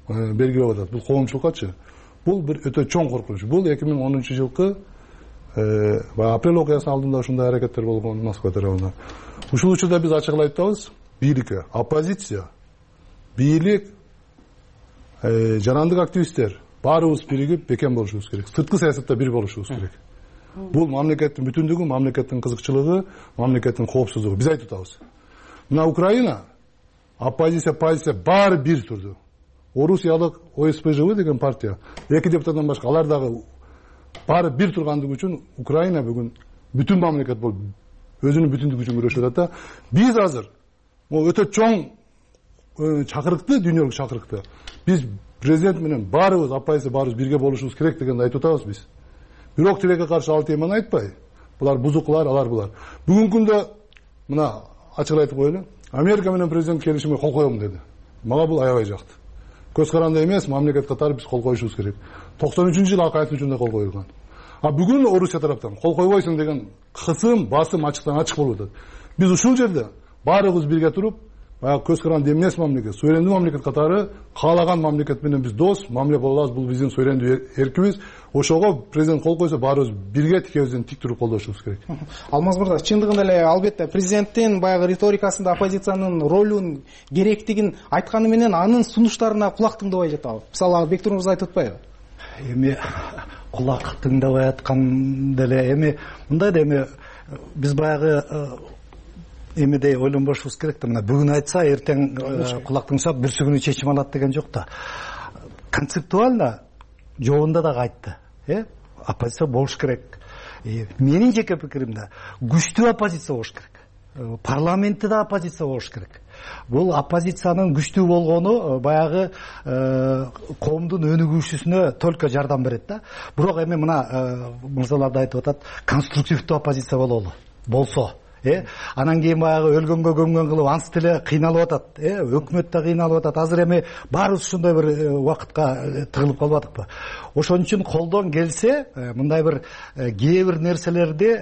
белгилеп атат. Бул коомчулуккачы. Бул бир өтө чоң коркунуч. Бул 2010-жылкы апрель окуясынын алдында ушундай аракеттер болгон Москва тарабынан. Ушул учурда биз ачыгылап айтабыз, бийликке, оппозиция, бийлик, жарандык активисттер баарыбыз биригип бекем болушубуз керек. Сырткы саясатта бир болушубуз керек. Бул мамлекеттин бүтүндүгү, мамлекеттин кызыкчылыгы, мамлекеттин коопсуздугу. Биз айтып атабыз. Мына Украина оппозиция, позиция баары бир турду. Орусиялык ОСПЖВ деген партия, 2 депутаттан башка алар дагы баары бир тургандыгы үчүн Украина бүгүн бүтүн мамлекет болуп өзүнүн бүтүндүгү үчүн күрөшүп атат да. Биз азыр өтө чоң чакырыкты, дүйнөлүк чакырыкты. Биз президент менен баарыбыз, оппозиция баарыбыз бирге болушубуз керек дегенди айтып атабыз биз. Бирок тилекке каршы ал теманы айтпай, булар бузуклар, алар булар. Бүгүнкү күндө мына ачык айтып коелу. Америка менен президент келишимге кол коем деди. Мага бул аябай жакты. Көз каранды эмес, мамлекет катары биз кол коюшубуз керек. 93-жылы акаевдин учурунда кол коюлган. А бүгүн Орусия тараптан кол койбойсуң деген кысым, басым ачыктан ачык болуп атат. Биз ушул жерде баарыбыз бирге туруп, баягы көз каранды эмес мамлекет, суверендүү мамлекет катары каалаган мамлекет менен биз дос мамиле боло алабыз. Бул биздин суверендүү эркибиз. Ошого президент кол койсо баарыбыз бирге тикебизден тик туруп колдошубуз керек. Алмаз мырза, чындыгында эле албетте президенттин баягы риторикасында оппозициянын ролун, керектигин айтканы менен анын сунуштарына кулак тыңдабай жатабы. Мисалы Бектур мырза айтып атпайбы? Эми кулак тыңдабай аткан деле эми мындай да эми биз баягы эмедей ойлонбошубуз керек да. Мына бүгүн айтса эртең кулак тыңдасак бүрсү күнү чечим алат деген жок да. Концептуально жообунда дагы айтты. Оппозиция болуш керек. Менин жеке пикиримде күчтүү оппозиция болуш керек. Парламентте да оппозиция болуш керек. Бул оппозициянын күчтүү болгону баягы коомдун өнүгүүсүнө только жардам берет да. Бирок эми мына мырзалар да айтып атат, конструктивдүү оппозиция болсо анан кийин баягы өлгөнгө көмгөн кылып анс деле кыйналып атат. Өкмөт да кыйналып атат. Азыр эми баарыбыз ушундай бир убакытка тыгылып калбадыкпы? Ошон үчүн колдон келсе мындай бир кээ бир нерселерди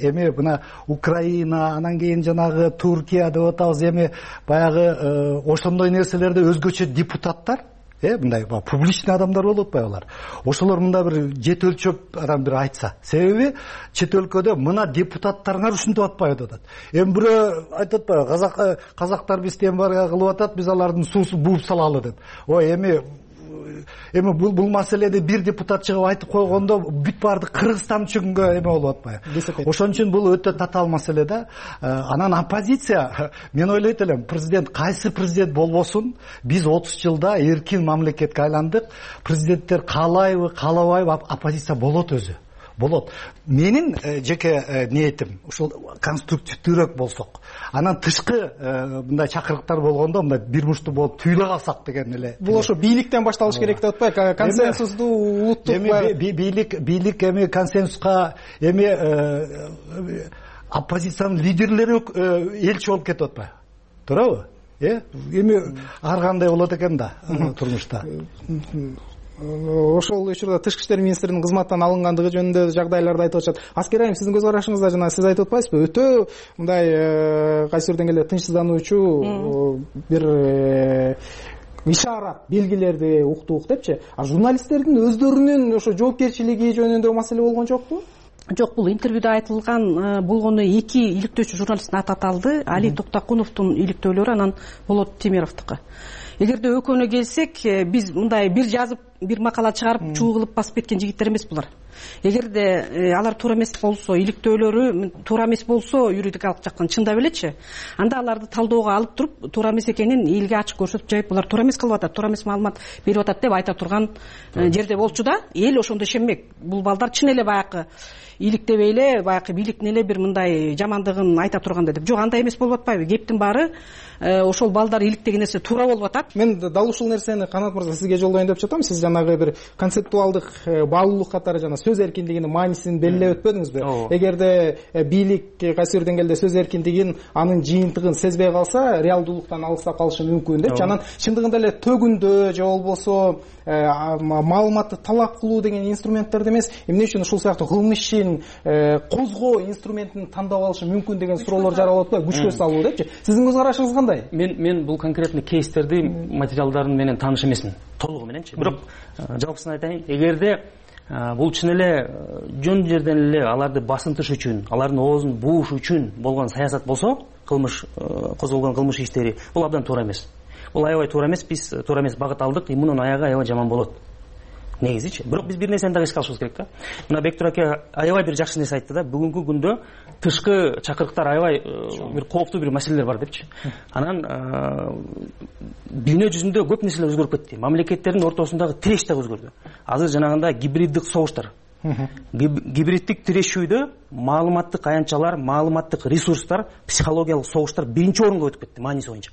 эми мына Украина, анан кийин жанагы Туркия деп атабыз, эми баягы ошондой нерселерди өзгөчө депутаттар мындай публичный адамдар болуп атпайбы алар? Ошолор мындай бир жет өлчөп адам бир айтса. Себеби чет өлкөдө мына депутаттарыңар ушинтип атпайбы деп атат. Эми бирөө айтып атпайбы, казактар бизден бар кылып атат, биз алардын суусун бууп салалы деп. Ой, эми бул маселеде бир депутат чыгып айтып койгондо бүт баарды Кыргызстан үчүнгө эме болуп атпайбы? Ошон үчүн бул өтө татаал маселе да. Анан оппозиция, мен ойлойт элем, кайсы президент болбосун, биз 30 жылда эркин мамлекетке айландык. Президенттер каалайбы, каалабайбы, оппозиция болот өзү. Болот. Менин жеке ниетим ушул конструктивдүүрөөк болсок. Анан тышкы мындай чакырыктар болгондо мындай бир мушту болуп түйүлө калсак деген эле. Бул ошо бийликтен башталыш керек деп атпайбы? Консенсусту улуттук бийлик эми консенсуска эми оппозициянын лидерлери элчи болуп кетип атпайбы? Туурабы? Эми ар кандай болот экен да турмушта. Ошол учурда тышкы иштер министринин кызматтан алынгандыгы жөнүндө жагдайларды айтып атышат. Аскер айым, сиздин көз карашыңызда жана сиз айтып атпайсызбы? Өтө мындай кайсы бир деңгээлде тынчсыздануучу бир ишарат, белгилерди уктук депчи. А журналисттердин өздөрүнүн ошо жоопкерчилиги жөнүндө маселе болгон жокпу? Жок, бул интервьюда айтылган болгону эки иликтөөчү журналисттин аты аталды. Али Токтокуновдун иликтөөлөрү, анан Болот Темировдуку. Эгерде экөөнө келсек, биз мындай бир жазып, бир макала чыгарып, чуу кылып басып кеткен жигиттер эмес булар. Эгерде алар туура эмес болсо, иликтөөлөрү туура эмес болсо, юридикалык жактан чындап элечи, анда аларды талдоого алып туруп, туура эмес экенин элге ачык көрсөтүп жайып, булар туура эмес кылып атат, туура эмес маалымат берип атат деп айта турган жерде болчу да, эл ошондо ишенбек. Бул балдар чын эле баягы иликтебей эле, баягы бийликтин эле бир мындай жамандыгын айта тургандай деп. Жок, андай эмес болуп атпайбы? Кептин баары ошол балдар иликтеген нерсе туура болуп атат. Мен дал ушул нерсени Канат мырза сизге жолдоюн деп жатам. Сиз жанагы бир концептуалдык баалуулук катары жана сөз эркиндигинин маанисин белгилеп өтпөдүңүзбү? Эгерде бийлик кайсы бир деңгээлде сөз эркиндигин, анын жыйынтыгын сезбей калса, реалдуулуктан алыстап калышы мүмкүн депчи. Анан чындыгында эле төгүндө же болбосо маалыматты талап кылуу деген инструменттерди эмес, эмне үчүн ушул сыяктуу кылмыш ишин козгоо инструментин тандап алышы мүмкүн деген суроолор жаралып атпайбы? Күчкө салуу депчи. Сиздин көз карашыңыз кандай? Мен бул конкретный кейстерди, материалдарын менен тааныш эмесмин, толугу мененчи. Бирок жалпысын айтайын, эгерде бул чын эле жөн жерден эле аларды басынтыш үчүн, алардын оозун бууш үчүн болгон саясат болсо, кылмыш козголгон кылмыш иштери, бул абдан туура эмес. Бул аябай туура эмес, биз туура эмес багыт алдык, мунун аягы аябай жаман болот. Негизичи. Бирок биз бир нерсени дагы эске алышыбыз керек да. Мына Бектур ака аябай бир жакшы нерсе айтты да. Бүгүнкү күндө тышкы чакырыктар аябай бир кооптуу бир маселелер бар депчи. Анан дүйнө жүзүндө көп нерселер өзгөрүп кетти. Мамлекеттердин ортосундагы тиреш да өзгөрдү. Азыр жанагындай гибриддик согуштар. Гибриддик тирешүүдө маалыматтык аянтчалар, маалыматтык ресурстар, психологиялык согуштар биринчи орунга өтүп кетти мааниси боюнча.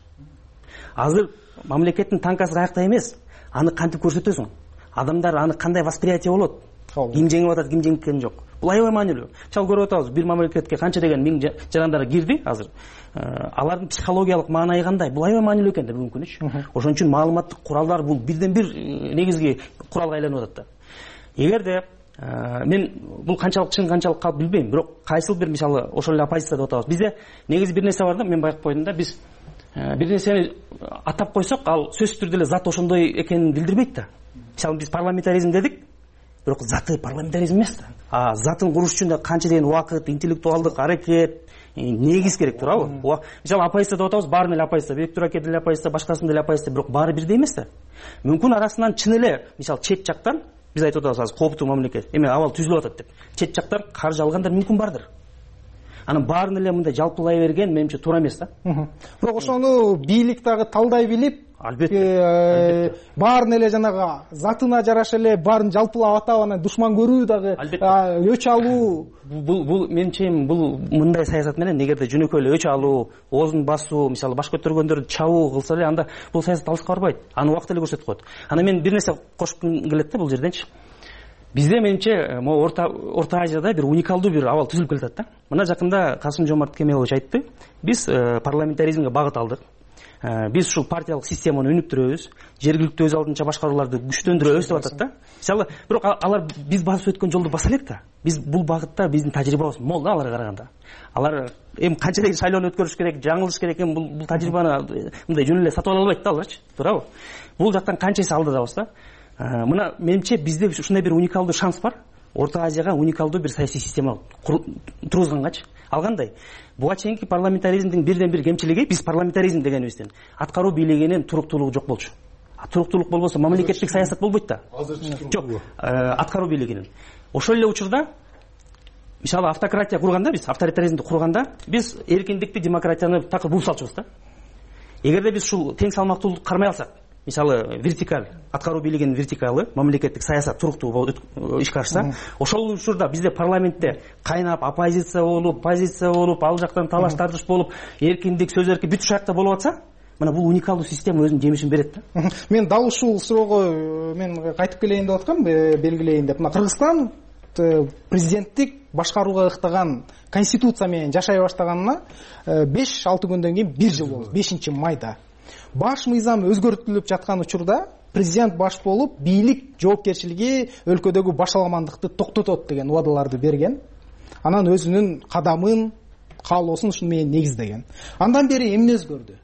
Азыр мамлекеттин танкасы каякта эмес, аны кантип көрсөтөсүң? Адамдар аны кандай восприятие болот? Ким жеңип атат, ким жеңген жок? Бул аябай маанилүү. Чал көрүп атабыз, бир мамлекетке канча деген миң жарандар кирди азыр. Алардын психологиялык маанайы кандай? Бул аябай маанилүү экен да бүгүнкү күнүчү. Ошон үчүн маалыматтык куралдар бул бирден бир негизги куралга айланып атат да. Эгерде мен бул канчалык чын, канчалык калп билбейм, бирок кайсыл бир мисалы ошол эле оппозиция деп атабыз. Бизде негизи бир нерсе бар да, мен байкап койдум да, биз бир нерсени атап койсок, ал сөзсүз түрдө эле заты ошондой экенин билдирбейт да. Мисалы биз парламентаризм дедик, бирок заты парламентаризм эмес да. Затын куруш үчүн да канча деген убакыт, интеллектуалдык аракет, негиз керек, туурабы? Мисалы оппозиция деп атабыз, баарын эле оппозиция, Бектур аке деле оппозиция, башкасын деле оппозиция, бирок баары бирдей эмес да. Мүмкүн арасынан чын эле, мисалы чет жактан биз айтып атабыз азыр кооптуу мамлекет, эме абал түзүлүп атат деп. Чет жактан каржы алгандар мүмкүн бардыр. Анан баарын эле мындай жалпылай берген менимче туура эмес да. Бирок ошону бийлик дагы талдай билип, албетте баарын эле жанагы затына жараша эле баарын жалпылап атап анан душман көрүү дагы өч алуу. Бул менимче бул мындай саясат менен эгерде жөнөкөй эле өч алуу, оозун басуу, мисалы баш көтөргөндөрдү чабуу кылса эле, анда бул саясат алыска барбайт. Аны убакыт эле көрсөтүп коет. Анан мен бир нерсе кошкум келет да бул жерденчи. Бизде менимче могу Орто Азияда бир уникалдуу бир абал түзүлүп келатат да. Мына жакында Касым-Жомарт Кемелович айтты. Биз парламентаризмге багыт алдык. Биз ушул партиялык системаны өнүктүрөбүз, жергиликтүү өз алдынча башкарууларды күчтөндүрөбүз деп атат да. Мисалы, бирок алар биз басып өткөн жолду баса элек да. Биз бул багытта биздин тажрыйбабыз мол да аларга караганда. Алар эми канча деген шайлоону өткөрүш керек, жаңылыш керек, эми бул тажрыйбаны мындай жөн эле сатып ала албайт да аларчы, туурабы? Бул жактан канча эсе алдыдабыз да. Мына менимче бизде ушундай бир уникалдуу шанс бар. Орто Азияга уникалдуу бир саясий система тургузгангачы. Ал кандай? Буга чейинки парламентаризмдин бирден бир кемчилиги, биз парламентаризм дегенибизден аткаруу бийлигинин туруктуулугу жок болчу. Туруктуулук болбосо мамлекеттик саясат болбойт да. Жок, аткаруу бийлигинин. Ошол эле учурда мисалы автократия курганда, биз авторитаризмди курганда, биз эркиндикти, демократияны такыр буп салчубуз да. Эгерде биз ушул тең салмактуулукту кармай алсак, мисалы вертикаль, аткаруу бийлигинин вертикалы, мамлекеттик саясат туруктуу болуп ишке ашса, ошол учурда бизде парламентте кайнап оппозиция болуп, позиция болуп, ал жактан талаш тартыш болуп, эркиндик, сөз эркин бүт ушул жакта болуп атса, мына бул уникалдуу система өзүнүн жемишин берет да. Мен дал ушул суроого мен кайтып келейин деп аткам, белгилейин деп. Мына Кыргызстан президенттик башкарууга ыктаган конституция менен жашай баштаганына 5-6 күндөн кийин 1 жыл болду, 5-майда. Баш мыйзам өзгөртүлүп жаткан учурда президент баш болуп, бийлик жоопкерчилиги өлкөдөгү башаламандыкты токтотот деген убадаларды берген. Анан өзүнүн кадамын, каалоосун ушун менен негиздеген. Андан бери эмне өзгөрдү?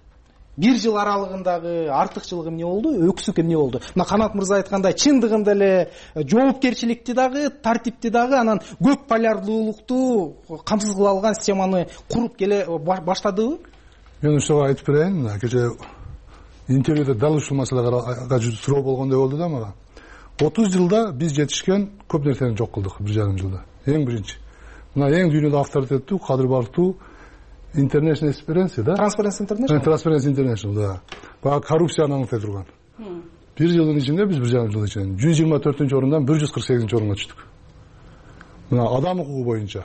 1 жыл аралыгындагы артыкчылык эмне болду? Өксүк эмне болду? Мына Канат мырза айткандай, чындыгында эле жоопкерчиликти дагы, тартипти дагы, анан көп полярдуулукту камсыз кыла алган системаны куруп келе баштадыбы? Мен ушуга айтып берейин. Кече интервьюда дал ушул маселега суроо болгондой болду да мага. 30 жылда биз жетишкен көп нерсени жок кылдык 1,5 жылда. Эң биринчи. Мына эң дүйнөдө авторитеттүү, кадыр бартуу International Experience, да? Transparency International. Transparency International, да. Бага коррупцияны аңлытай турган. 1 жылдын ичинде биз 1,5 жыл ичинде 124-орундан 148-орунга түштүк. Мына адам укугу боюнча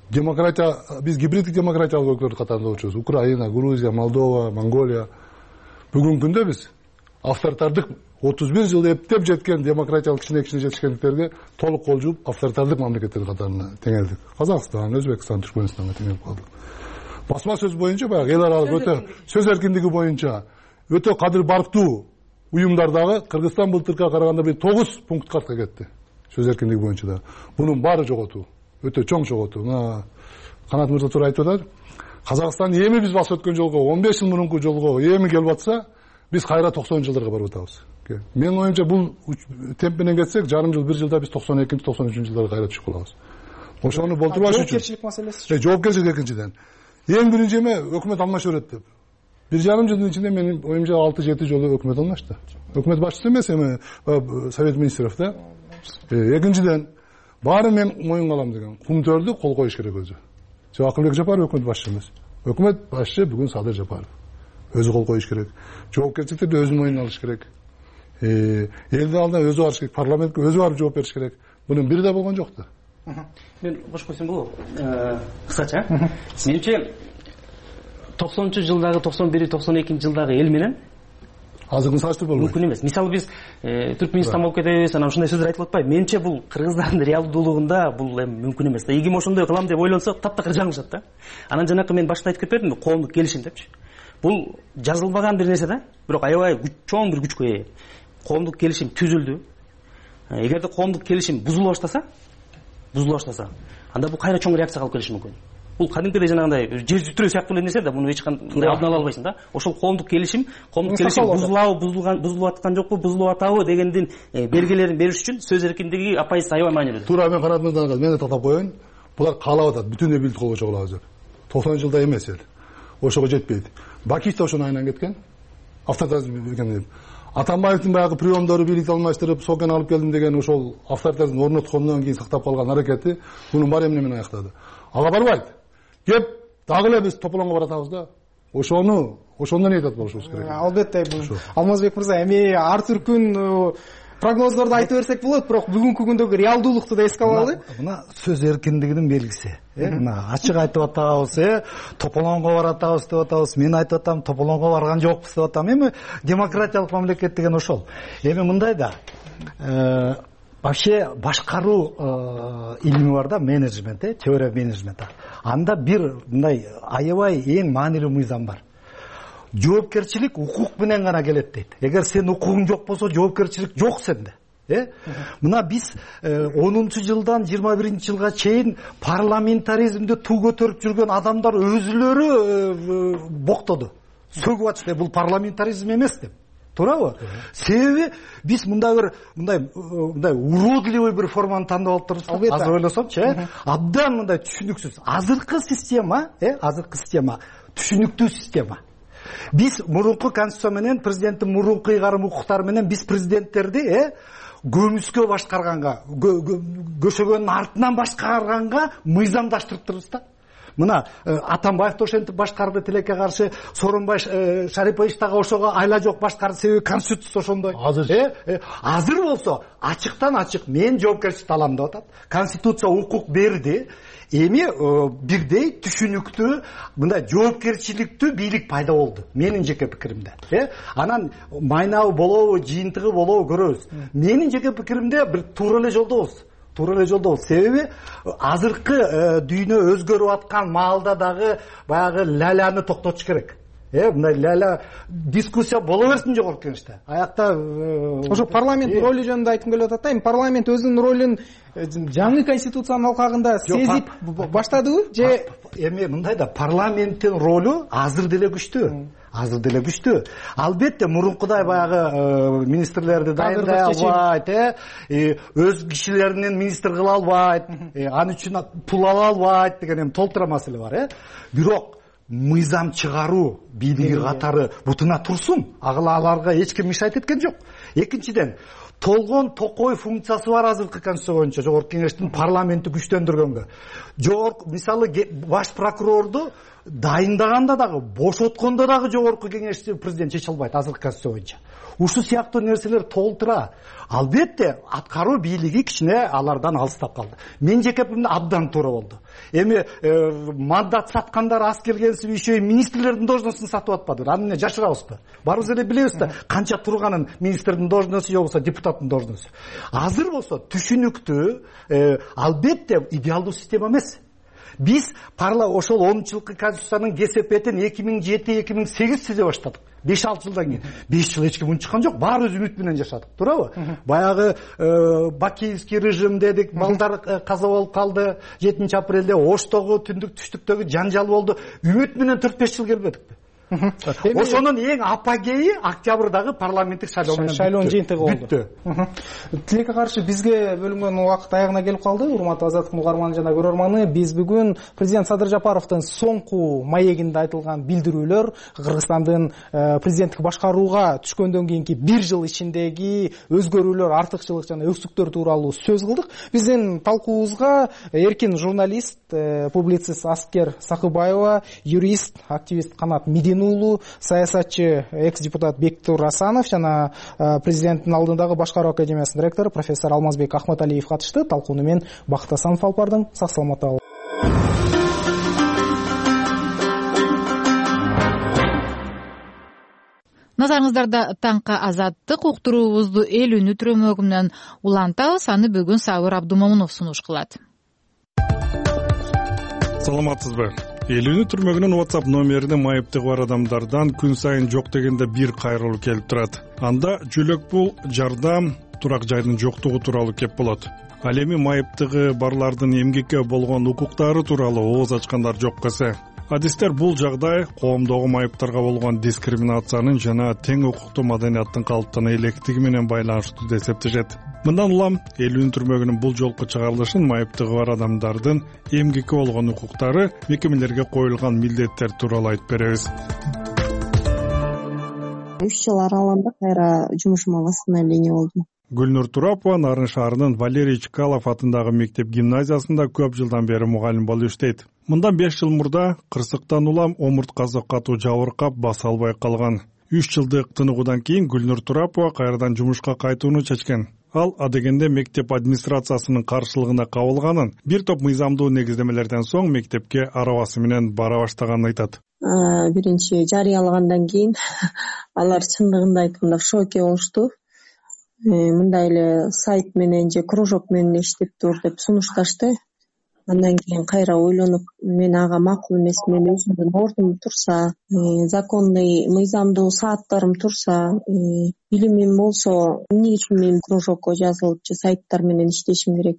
демократия, биз гибриддик демократиялык өлкөлөр катарында болчубуз. Украина, Грузия, Молдова, Монголия. Бүгүнкү күндө биз авторитардык 31 жыл эптеп жеткен демократиялык кичине жетишкендиктерге толук кол жууп авторитардык мамлекеттер катарына теңелдик. Казакстан, Өзбекстан, Түркмөнстанга теңелип калдык. Басма сөз боюнча баягы эл аралык өтө сөз эркиндиги боюнча өтө кадыр бартуу уюмдардагы Кыргызстан былтыркыга караганда бир 9 пункт артка кетти. Сөз эркиндиги боюнча да. Бунун баары жоготуу. Өтө чоң жоготуу. Мына Канат мырза туура айтып атат. Казакстан эми биз басып өткөн жолго 15 жыл мурунку жолго эми келип атса, биз кайра 90-жылдарга барып атабыз. Менин оюмча бул темп менен кетсек, жарым жыл, 1 жылда биз 92-93-жылдарга кайра түшүп калабыз. Ошону болтурбаш үчүн. Жоопкерчилик маселеси. Жоопкерчилик экинчиден. Эң биринчи эме өкмөт алмаша берет деп. 1,5 жылдын ичинде менин оюмча 6-7 жолу өкмөт алмашты. Өкмөт башчысы эмес, эми Совет министров да. Экинчиден баары мен моюнга алам деген кумтөрдү кол коюш керек өзү. Акылбек Жапаров өкмөт башчысы эмес. Өкмөт башчы бүгүн Садыр Жапаров. Өзү кол коюш керек. Жоопкерчиликти өзүнүн мойнуна алыш керек. Элдин алдына өзү барыш керек, парламентке өзү барып жооп бериш керек. Бунун бири да болгон жок да. Мен бош койсом болобу? Кыскача. Менимче 90-жылдагы, 91-92-жылдагы эл менен азыркын салыштырып болбойт. Мүмкүн эмес. Мисалы биз Түркмөнстан болуп кетебиз, анан ушундай сөздөр айтылып атпайбы? Менимче бул кыргыздардын реалдуулугунда бул эми мүмкүн эмес да. Игим ошондой кылам деп ойлонсо, таптакыр жаңылышат да. Анан жанакы мен башта айтып кетпедимби, коомдук келишим депчи. Бул жазылбаган бир нерсе да, бирок аябай чоң бир күчкө ээ. Коомдук келишим түзүлдү. Эгерде коомдук келишим бузула баштаса, анда бул кайра чоң реакция алып келиши мүмкүн. бул кадимкидей жанагындай жер жүтүрүү сыяктуу эле нерсе да, муну эч кандай алдын ала албайсың да. Ошол коомдук келишим бузулуп аткан жокпу, бузулуп атабы дегендин белгилерин бериш үчүн сөз эркиндиги апайсыз аябай маанилүү. Туура мен карадым, мен токтоп коеюн. Булар каалап атат, бүтүндөй бийлик колго чогулабыз деп. 90 жылда эмес эл. Ошого жетпейт. Бакиев да ошону айынан кеткен. Авторитаризм деген. Атамбаевдин баягы приемдору бийликти алмаштырып, сокен алып келдим деген ошол авторитаризмди орноткондон кийин сактап калган аракети муну бар эмне менен аяктады. Ага барбайт. Кеп дагы эле биз тополоңго баратабыз да. Ошондон этият болушубуз керек. Албетте, Алмазбек мырза, эми ар түркүн прогноздорду айтып берсек болот, бирок бүгүнкү күндөгү реалдуулукту да эске алалы. Мына сөз эркиндигинин белгиси. Мына ачык айтып атабыз, тополоңго баратабыз деп атабыз. Мен айтып атам, тополоңго барган жокпуз деп атам. Эми демократиялык мамлекет деген ошол. Эми мындай да вообще башкаруу илими бар да, менеджмент, теория менеджмента. Анда бир мындай аябай эң маанилүү мыйзам бар. Жоопкерчилик укук менен гана келет дейт. Эгер сен укугуң жок болсо, жоопкерчилик жок сенде. Мына биз 10-жылдан 21-жылга чейин парламентаризмди туу көтөрүп жүргөн адамдар өзүлөрү боктоду. Сөгүп атышты, бул парламентаризм эмес деп. Туурабы? Себеби биз мындай уродливый бир форманы тандап алыптырбыз. Азыр ойлосомчу, абдан мындай түшүнүксүз. Азыркы система түшүнүктүү система. Биз мурунку конституция менен, президенттин мурунку ыйгарым укуктары менен биз президенттерди көмүскө башкарганга, көшөгөнүн артынан башкарганга мыйзамдаштырыптырбыз да. Мына Атамбаев да ошентип башкарды тилекке каршы, Сооронбай Шарипович дагы ошого айла жок башкарды, себеби конституция ошондой. Азыр болсо ачыктан ачык мен жоопкерчиликти алам деп атат. Конституция укук берди. Эми бирдей түшүнүктүү мындай жоопкерчиликтүү бийлик пайда болду, менин жеке пикиримде. Анан майнабы болобу, жыйынтыгы болобу көрөбүз. Менин жеке пикиримде бир туура эле жолдобуз. Себеби азыркы дүйнө өзгөрүп аткан маалда дагы баягы ляляны токтотуш керек. Мындай ляля дискуссия боло берсин жогорку кеңеште. Аякта ошо парламенттин ролу жөнүндө айткым келип атат да. Эми парламент өзүнүн ролун жаңы конституциянын алкагында сезип баштадыбы же эми мындай да, парламенттин ролу азыр деле күчтүү. Албетте мурункудай баягы министрлерди дайындай албайт, өз кишилеринен министр кыла албайт, аны үчүн пул ала албайт деген толтура маселе бар. Бирок мыйзам чыгаруу бийлиги катары бутуна турсун. Аларга эч ким мешать эткен жок. Экинчиден, толгон токой функциясы бар азыркы конституция боюнча жогорку кеңештин парламентти күчтөндүргөнгө. Мисалы баш прокурорду дайындаганда дагы, бошоткондо дагы жогорку кеңешти президент чече албайт азыркы конституция боюнча. Ушул сыяктуу нерселер толтура. Албетте аткаруу бийлиги кичине алардан алыстап калды. Мен жеке пикиримде абдан туура болду. Эми мандат саткандар аз келгенсип еще министрлердин должностун сатып атпады. Аны эмне жашырабызбы? Барыбыз эле билебиз да, канча турганын министрдин должносту же болбосо депутаттын должносту. Азыр болсо түшүнүктүү, албетте идеалдуу система эмес. Биз ошол 10-жылкы конституциянын кесепетин 2007-2008 түзө баштадык. 5-6 жылдан кийин. 5 жыл эч ким унчуккан жок, баарыбыз үмүт менен жашадык, туурабы? Баягы бакиевский режим дедик, балдар каза болуп калды. 7-апрелде Оштогу, түндүк түштүктөгү жанжал болду. Үмүт менен 4-5 жыл келбедикпи? Ошонун эң апогейи октябрдагы парламенттик шайлоонун жыйынтыгы болду. Тилекке каршы бизге бөлүнгөн убакыт аягына келип калды. Урматтуу Азаттыктын угарманы жана көрөрманы, биз бүгүн президент Садыр Жапаровдун соңку маегинде айтылган билдирүүлөр, Кыргызстандын президенттик башкарууга түшкөндөн кийинки 1 жыл ичиндеги өзгөрүүлөр, артыкчылык жана өксүктөр тууралуу сөз кылдык. Биздин талкуубузга эркин журналист, публицист Аскер Сакыбаева, юрист, активист Канат Медин, саясатчы экс-депутат Бектур Асанов жана президенттин алдындагы башкаруу академиясынын ректору профессор Алмазбек Ахматалиев катышты. Талкууну мен Бакыт Асанов алып бардым. Сак саламатта болуңуздар. Назарыңыздарда таңкы азаттык уктуруубузду эл үнү түрөмөгү менен улантабыз. Аны бүгүн Сабыр Абдумомунов сунуш кылат. Саламатсызбы? Эл үнү түрмөгүнүн WhatsApp номерине майыптыгы бар адамдардан күн сайын жок дегенде бир кайрылуу келип турат. Анда жөлөк пул, жардам, турак жайдын жоктугу тууралуу кеп болот. Ал эми майыптыгы барлардын эмгекке болгон укуктары тууралуу ооз ачкандар жок эсе. Адистер бул жагдай коомдогу майыптарга болгон дискриминациянын жана тең укуктуу маданияттын калыптана электиги менен байланыштуу деп эсептешет. Мындан улам эл өнүктүрмөгүнүн бул жолку чыгарылышын майыптыгы бар адамдардын эмгекке болгон укуктары, мекемелерге коюлган милдеттер тууралуу айтып беребиз. 3 жыл аралыгында кайра жумушума восстановление болдум. Гүлнур Турапова Нарын шаарынын Валерий Чкалов атындагы мектеп гимназиясында көп жылдан бери мугалим болуп иштейт. Мындан 5 жыл мурда кырсыктан улам омурткасы катуу жабыркап баса албай калган. 3 жылдык тыныгуудан кийин Гүлнур Турапова кайрадан жумушка кайтууну чечкен. Ал адегенде мектеп администрациясынын каршылыгына кабылганын, бир топ мыйзамдуу негиздемелерден соң мектепке арабасы менен бара баштаганын айтат. Биринчи жарыялагандан кийин алар чындыгында айтканда в шоке болушту. Мындай эле сайт менен же кружок менен иштеп тур деп сунушташты. Андан кийин кайра ойлонуп, мен ага макул эмес, мен өзүмдүн ордум турса, законный мыйзамдуу сааттарым турса, билимим болсо, эмне үчүн мен кружокко жазылып же сайттар менен иштешим керек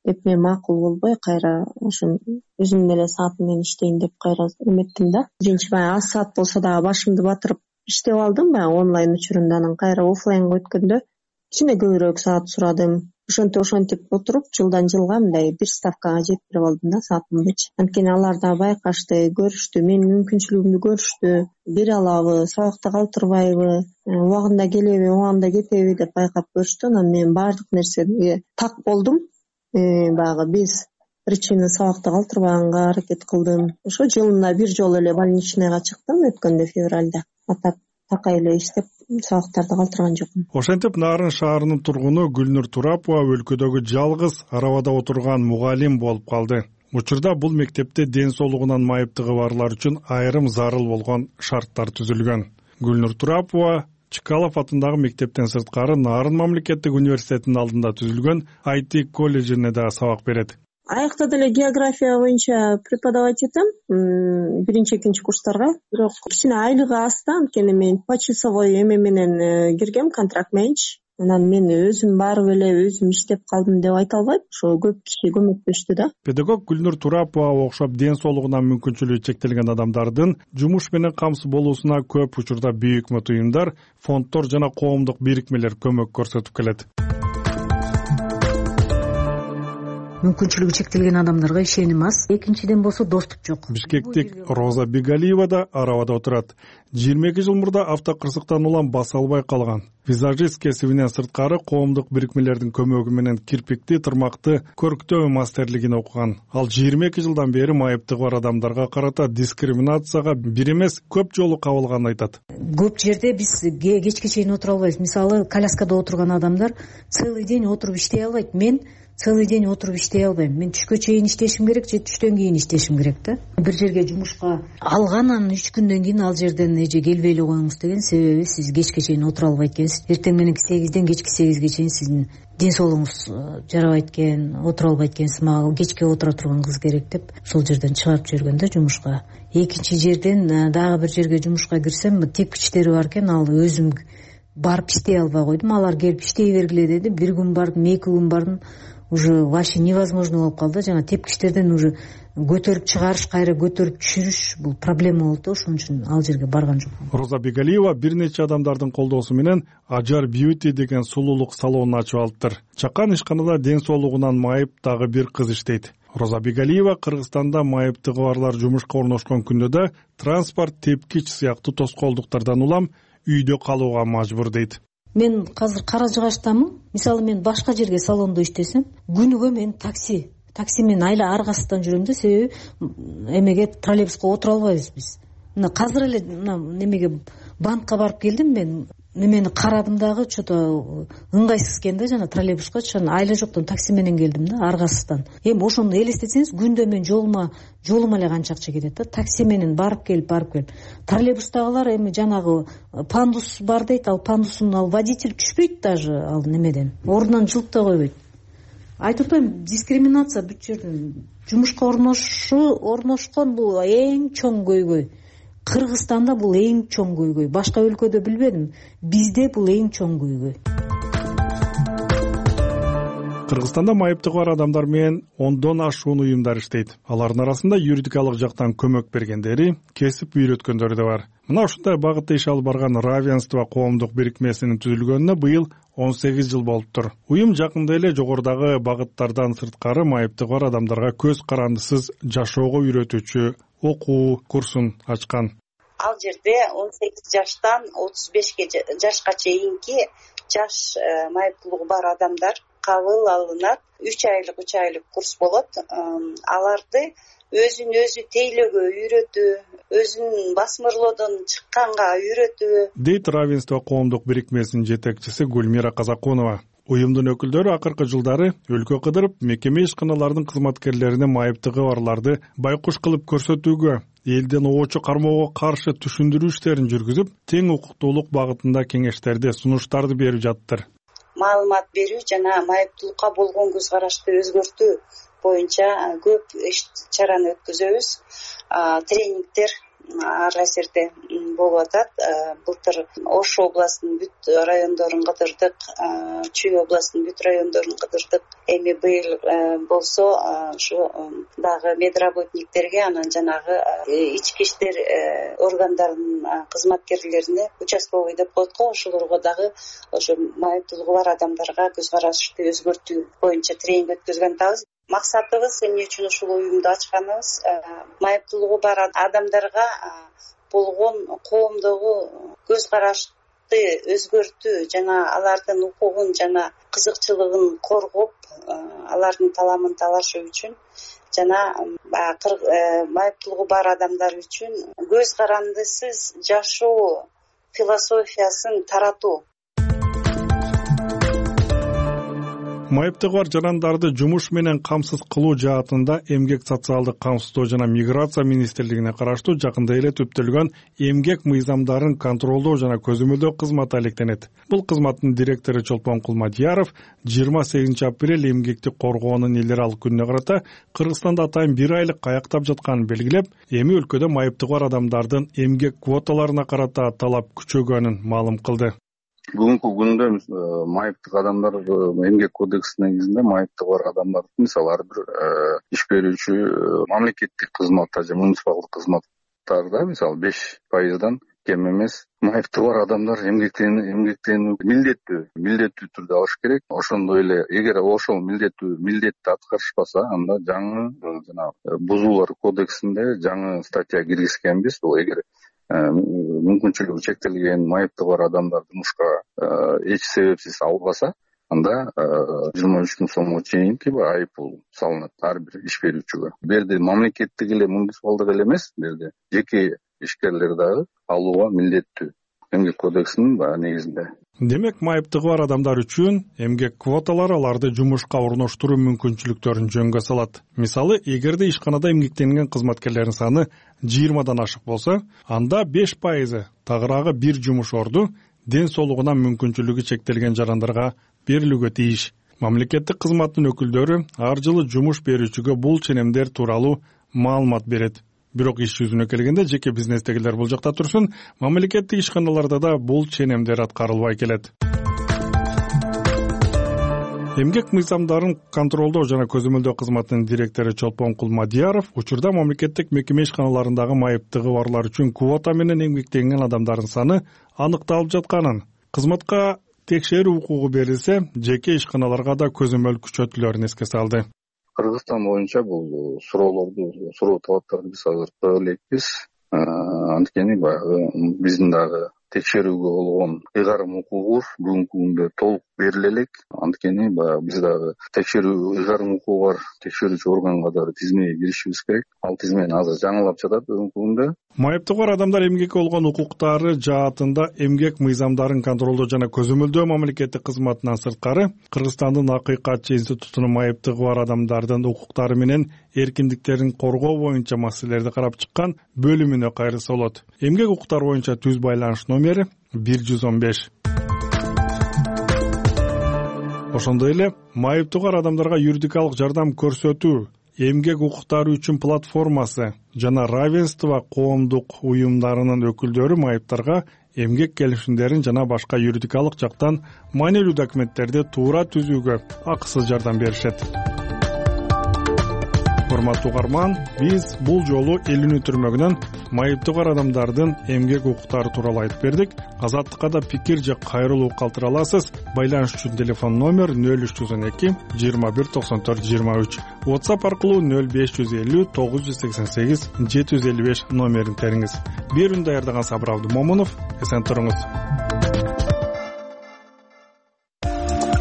деп мен макул болбой, кайра ошо өзүмдүн эле саатым менен иштейин деп кайра эметтим да. Биринчи баягы аз саат болсо дагы башымды батырып иштеп алдым, баягы онлайн учурунда. Анан кайра офлайнга өткөндө кичине көбүрөөк саат сурадым. Ошентип отуруп жылдан жылга мындай бир ставкага жеткирип алдым да саатымдычы. Анткени алар да байкашты, көрүштү, менин мүмкүнчүлүгүмдү көрүштү, бере алабы, сабакта калтырбайбы, убагында келеби, убагында кетеби деп байкап көрүштү. Анан мен баардык нерсеге так болдум. Баягы без причины сабакта калтырбаганга аракет кылдым. Ошо жылына бир жолу эле больничныйга чыктым өткөндө февралда. Атап такай эле иштеп сабактарды калтырган жокмун. Ошентип Нарын шаарынын тургуну Гүлнур Турапова өлкөдөгү жалгыз арабада отурган мугалим болуп калды. Учурда бул мектепте ден соолугунан майыптыгы барлар үчүн айрым зарыл болгон шарттар түзүлгөн. Гүлнур Турапова Чкалов атындагы мектептен сырткары Нарын мамлекеттик университетинин алдында түзүлгөн IT колледжине да сабак берет. Аякта деле география боюнча преподавать этем, биринчи экинчи курстарга. Бирок кичине айлыгы аз да, анткени мен почасовой эме менен киргем, контракт мененчи. Анан мен өзүм барып эле өзүм иштеп калдым деп айта албайм. Ошо көп киши көмөктөштү да. Педагог Гүлнур Турапова окшоп ден соолугунан мүмкүнчүлүгү чектелген адамдардын жумуш менен камсыз болуусуна көп учурда бийик уюмдар, фонддор жана коомдук бирикмелер көмөк көрсөтүп келет. Мүмкүнчүлүгү чектелген адамдарга ишеним аз. Экинчиден болсо доступ жок. Бишкектик Роза Бигалиева да арабада отурат. 22 жыл мурда автокырсыктан улам баса албай калган. Визажист кесибинен сырткары коомдук бирикмелердин көмөгү менен кирпикти, тырмакты көрктөө мастерлигин окуган. Ал 22 жылдан бери майыптыгы бар адамдарга карата дискриминацияга бир эмес көп жолу кабылганын айтат. Көп жерде биз кечке чейин отура албайбыз. Мисалы, коляскада отурган адамдар целый день отуруп иштей албайт. Мен целый день отуруп иштей албайм. Мен түшкө чейин иштешим керек же түштөн кийин иштешим керек да. Бир жерге жумушка алганан 3 күндөн кийин ал жерден эже келбей эле коюңуз деген себеби сиз кечке чейин отура албайт экенсиз. Эртең мененки 8ден кечки 8ге чейин сиздин ден соолугуңуз жарабайт экен, отура албайт экенсиз. Мага кечке отура турган кыз керек деп ошол жерден чыгарып жиберген да жумушка. Экинчи жерден дагы бир жерге жумушка кирсем, тепкичтери бар экен, ал өзүм барып иштей албай койдум. Алар келип иштей бергиле деди. Бир күн бардым, 2 күн бардым. Уже вообще невозможно болуп калды. Жана тепкичтерден уже көтөрүп чыгарыш, кайра көтөрүп түшүрүш бул проблема болду. Ошон үчүн ал жерге барган жокмун. Роза Бигалиева бир нече адамдардын колдоосу менен Ажар Beauty деген сулуулук салонун ачып алыптыр. Чакан ишканада ден соолугунан майып дагы бир кыз иштейт. Роза Бигалиева Кыргызстанда майыптыгы барлар жумушка орношкон күндө да транспорт, тепкич сыяктуу тоскоолдуктардан улам үйдө калууга мажбур дейт. Мен азыр Кара Жыгачтамын. Мисалы, мен башка жерге салондо иштесем, күнүгө мен такси менен айла аргасыздан жүрөм да, себеби эмеге троллейбуска отура албайбыз биз. Мына азыр эле немеге банкка барып келдим, мен немени карадым дагы, что-то ыңгайсыз экен да, жана троллейбуска айла жоктон такси менен келдим да, аргасыздан. Эми ошону элестетсеңиз, күндө мен жолума эле канча акча кетет да, такси менен барып келип. Троллейбустагылар эми жанагы пандус бар дейт, ал пандусун ал водитель түшпөйт даже ал немеден. Ордунан жылып да койбойт. Айтып атпайм, дискриминация бүт жерден. Жумушка орношкон бул эң чоң көйгөй. Кыргызстанда бул эң чоң көйгөй. Башка өлкөдө билбедим. Бизде бул эң чоң көйгөй. Кыргызстанда майыптыгы бар адамдар менен 10дон ашуун уюмдар иштейт. Алардын арасында юридикалык жактан көмөк бергендери, кесип үйрөткөндөрү да бар. Мына ушундай багытта иш алып барган Равенство коомдук бирикмесинин түзүлгөнүнө быйыл 18 жыл болуптур. Уюм жакында эле жогорудагы багыттардан сырткары майыптыгы бар адамдарга көз карандысыз жашоого үйрөтүүчү окуу курсун ачкан. Ал жерде 18 жаштан 35 жашка чейинки жаш майыптуулугу бар адамдар кабыл алынат. 3 айлык курс болот. Аларды өзүн өзү тейлөөгө үйрөтүү, өзүн басмырлоодон чыкканга үйрөтүү дейт Равенство коомдук бирикмесинин жетекчиси Гүлмира Казакунова. Уюмдун өкүлдөрү акыркы жылдары өлкө кыдырып, мекеме ишканаларынын кызматкерлерине майыптыгы барларды байкуш кылып көрсөтүүгө, элден оочу кармоого каршы түшүндүрүү иштерин жүргүзүп, тең укуктуулук багытында кеңештерди, сунуштарды берип жаттыр. Маалымат берүү жана майыптуулукка болгон көз карашты өзгөртүү боюнча көп иш-чараны өткөзөбүз. Тренингдер ар кайсерде болуп атат. Былтыр Ош областынын бүт райондорун кыдырдык, Чүй областынын бүт райондорун кыдырдык. Эми быйыл болсо ушу дагы медработниктерге, анан жанагы ички иштер органдарынын кызматкерлерине участковый деп коет го, ошолорго дагы ошо майыптуулугу бар адамдарга көз карашты өзгөртүү боюнча тренинг өткөзгөн атабыз. Максатыбыз эмне үчүн ушул уюмду ачканыбыз, майыптуулугу бар адамдарга болгон коомдогу көз карашты өзгөртүү жана алардын укугун жана кызыкчылыгын коргоп, алардын таламын талашуу үчүн жана майыптуулугу бар адамдар үчүн көз карандысыз жашоо философиясын таратуу. Майыптыгы бар жарандарды жумуш менен камсыз кылуу жаатында Эмгек социалдык камсыздоо жана миграция министрлигине караштуу жакында эле түптөлгөн эмгек мыйзамдарын контролдоо жана көзөмөлдөө кызматы алектенет. Бул кызматтын директору Чолпон Кулмадияров 28 апрель эмгекти коргоонун эл аралык күнүнө карата Кыргызстанда атайын 1 айлык каяктап жатканын белгилеп, эми өлкөдө майыптыгы бар адамдардын эмгек квоталарына карата талап күчөгөнүн маалым кылды. Бүгүнкү күндө майыптык адамдар эмгек кодексинин негизинде майыптыгы бар адамдар мисалы ар бир иш берүүчү мамлекеттик кызматта же муниципалдык кызматтарда мисалы 5%дан кем эмес майыптыгы бар адамдар эмгектенүү милдеттүү түрдө алыш керек. Ошондой эле эгер ошол милдетти аткарышпаса, анда жаңы жана бузуулар кодексинде жаңы статья киргизгенбиз. Бул эгер мүмкүнчүлүгү чектелген майыптыгы бар адамдар жумушка эч себепсиз албаса, анда 23 миң сомго чейинки айыппул салынат ар бир иш берүүчүгө. Бул жерде мамлекеттик эле муниципалдык эле эмес, бул жерде жеке ишкерлер дагы алууга милдеттүү эмгек кодексинин негизинде. Демек, майыптыгы бар адамдар үчүн эмгек квоталары аларды жумушка орноштуруу мүмкүнчүлүктөрүн жөнгө салат. Мисалы, эгерде ишканада эмгектенген кызматкерлердин саны 20дан ашык болсо, анда 5% тагыраагы бир жумуш орду ден соолугунан мүмкүнчүлүгү чектелген жарандарга берилүүгө тийиш. Мамлекеттик кызматтын өкүлдөрү ар жылы жумуш берүүчүгө бул ченемдер тууралуу маалымат берет. Бирок иш жүзүнө келгенде жеке бизнестегилер бул жакта турсун, мамлекеттик ишканаларда да бул ченемдер аткарылбай келет. Эмгек мыйзамдарын контролдоо жана көзөмөлдөө кызматынын директору Чолпон Кулмадияров учурда мамлекеттик мекеме ишканаларындагы майыптыгы барлар үчүн квота менен эмгектенген адамдардын саны аныкталып жатканын, кызматка текшерүү укугу берилсе, жеке ишканаларга да көзөмөл күчөтүлөрүн эске салды. Кыргызстан боюнча бул суроо талаптарды биз азыр кое элекпиз. Анткени баягы биздин дагы текшерүүгө болгон ыйгарым укугубуз бүгүнкү күндө толук бериле элек. Анткени биз дагы текшерүү ыйгарым укугу бар текшерүүчү органга дагы тизмеге киришибиз керек. Ал тизмени азыр жаңылап жатат бүгүнкү күндө. Майыптыгы бар адамдар эмгекке болгон укуктары жаатында эмгек мыйзамдарын контролдоо жана көзөмөлдөө мамлекеттик кызматынан сырткары Кыргызстандын Акыйкатчы институтунун майыптыгы бар адамдардын укуктары менен эркиндиктерин коргоо боюнча маселелерди карап чыккан бөлүмүнө кайрылса болот. Эмгек укуктары боюнча түз байланыш номери 115. Ошондой эле майыптыгы бар адамдарга юридикалык жардам көрсөтүү эмгек укуктары үчүн платформасы жана равенство коомдук уюмдарынын өкүлдөрү майыптарга эмгек келишимдерин жана башка юридикалык жактан маанилүү документтерди туура түзүүгө акысыз жардам беришет. Урматтуу угарман, биз бул жолу Элүүнү түрмөгүнөн майыптуу бар адамдардын эмгек укуктары тууралуу айтып бердик. Азаттыкка да пикир же кайрылуу калтыра аласыз. Байланыш үчүн телефон номер 0312 21 94 23. WhatsApp аркылуу 0550 988 755 номерин териңиз. Берүүнү даярдаган Сабыр Абдымомунов, эсен туруңуз.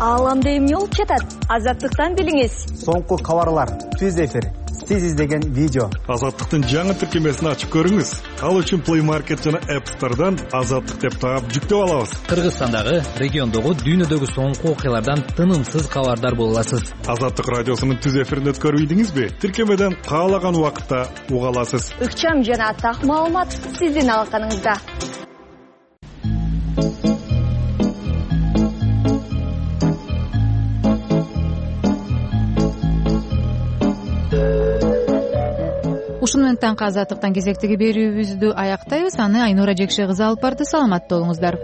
Ааламда эмне болуп жатат? Азаттыктан билиңиз. Соңку кабарлар, түз эфир, сиз издеген видео. Азаттыктын жаңы тиркемесин ачып көрүңүз. Ал үчүн Play Market жана App Store'дан Азаттык деп таап жүктөп алабыз. Кыргызстандагы, региондогу, дүйнөдөгү соңку окуялардан тынымсыз кабардар боло аласыз. Азаттык радиосунун түз эфирин өткөрүп ийдиңизби? Тиркемеден каалаган убакытта уга аласыз. Ыкчам жана так маалымат сиздин алаканыңызда. Ушуну менен таңкы азаттыктан кезектеги берүүбүздү аяктайбыз. Аны Айнура Жекше кызы алып барды. Саламатта болуңуздар.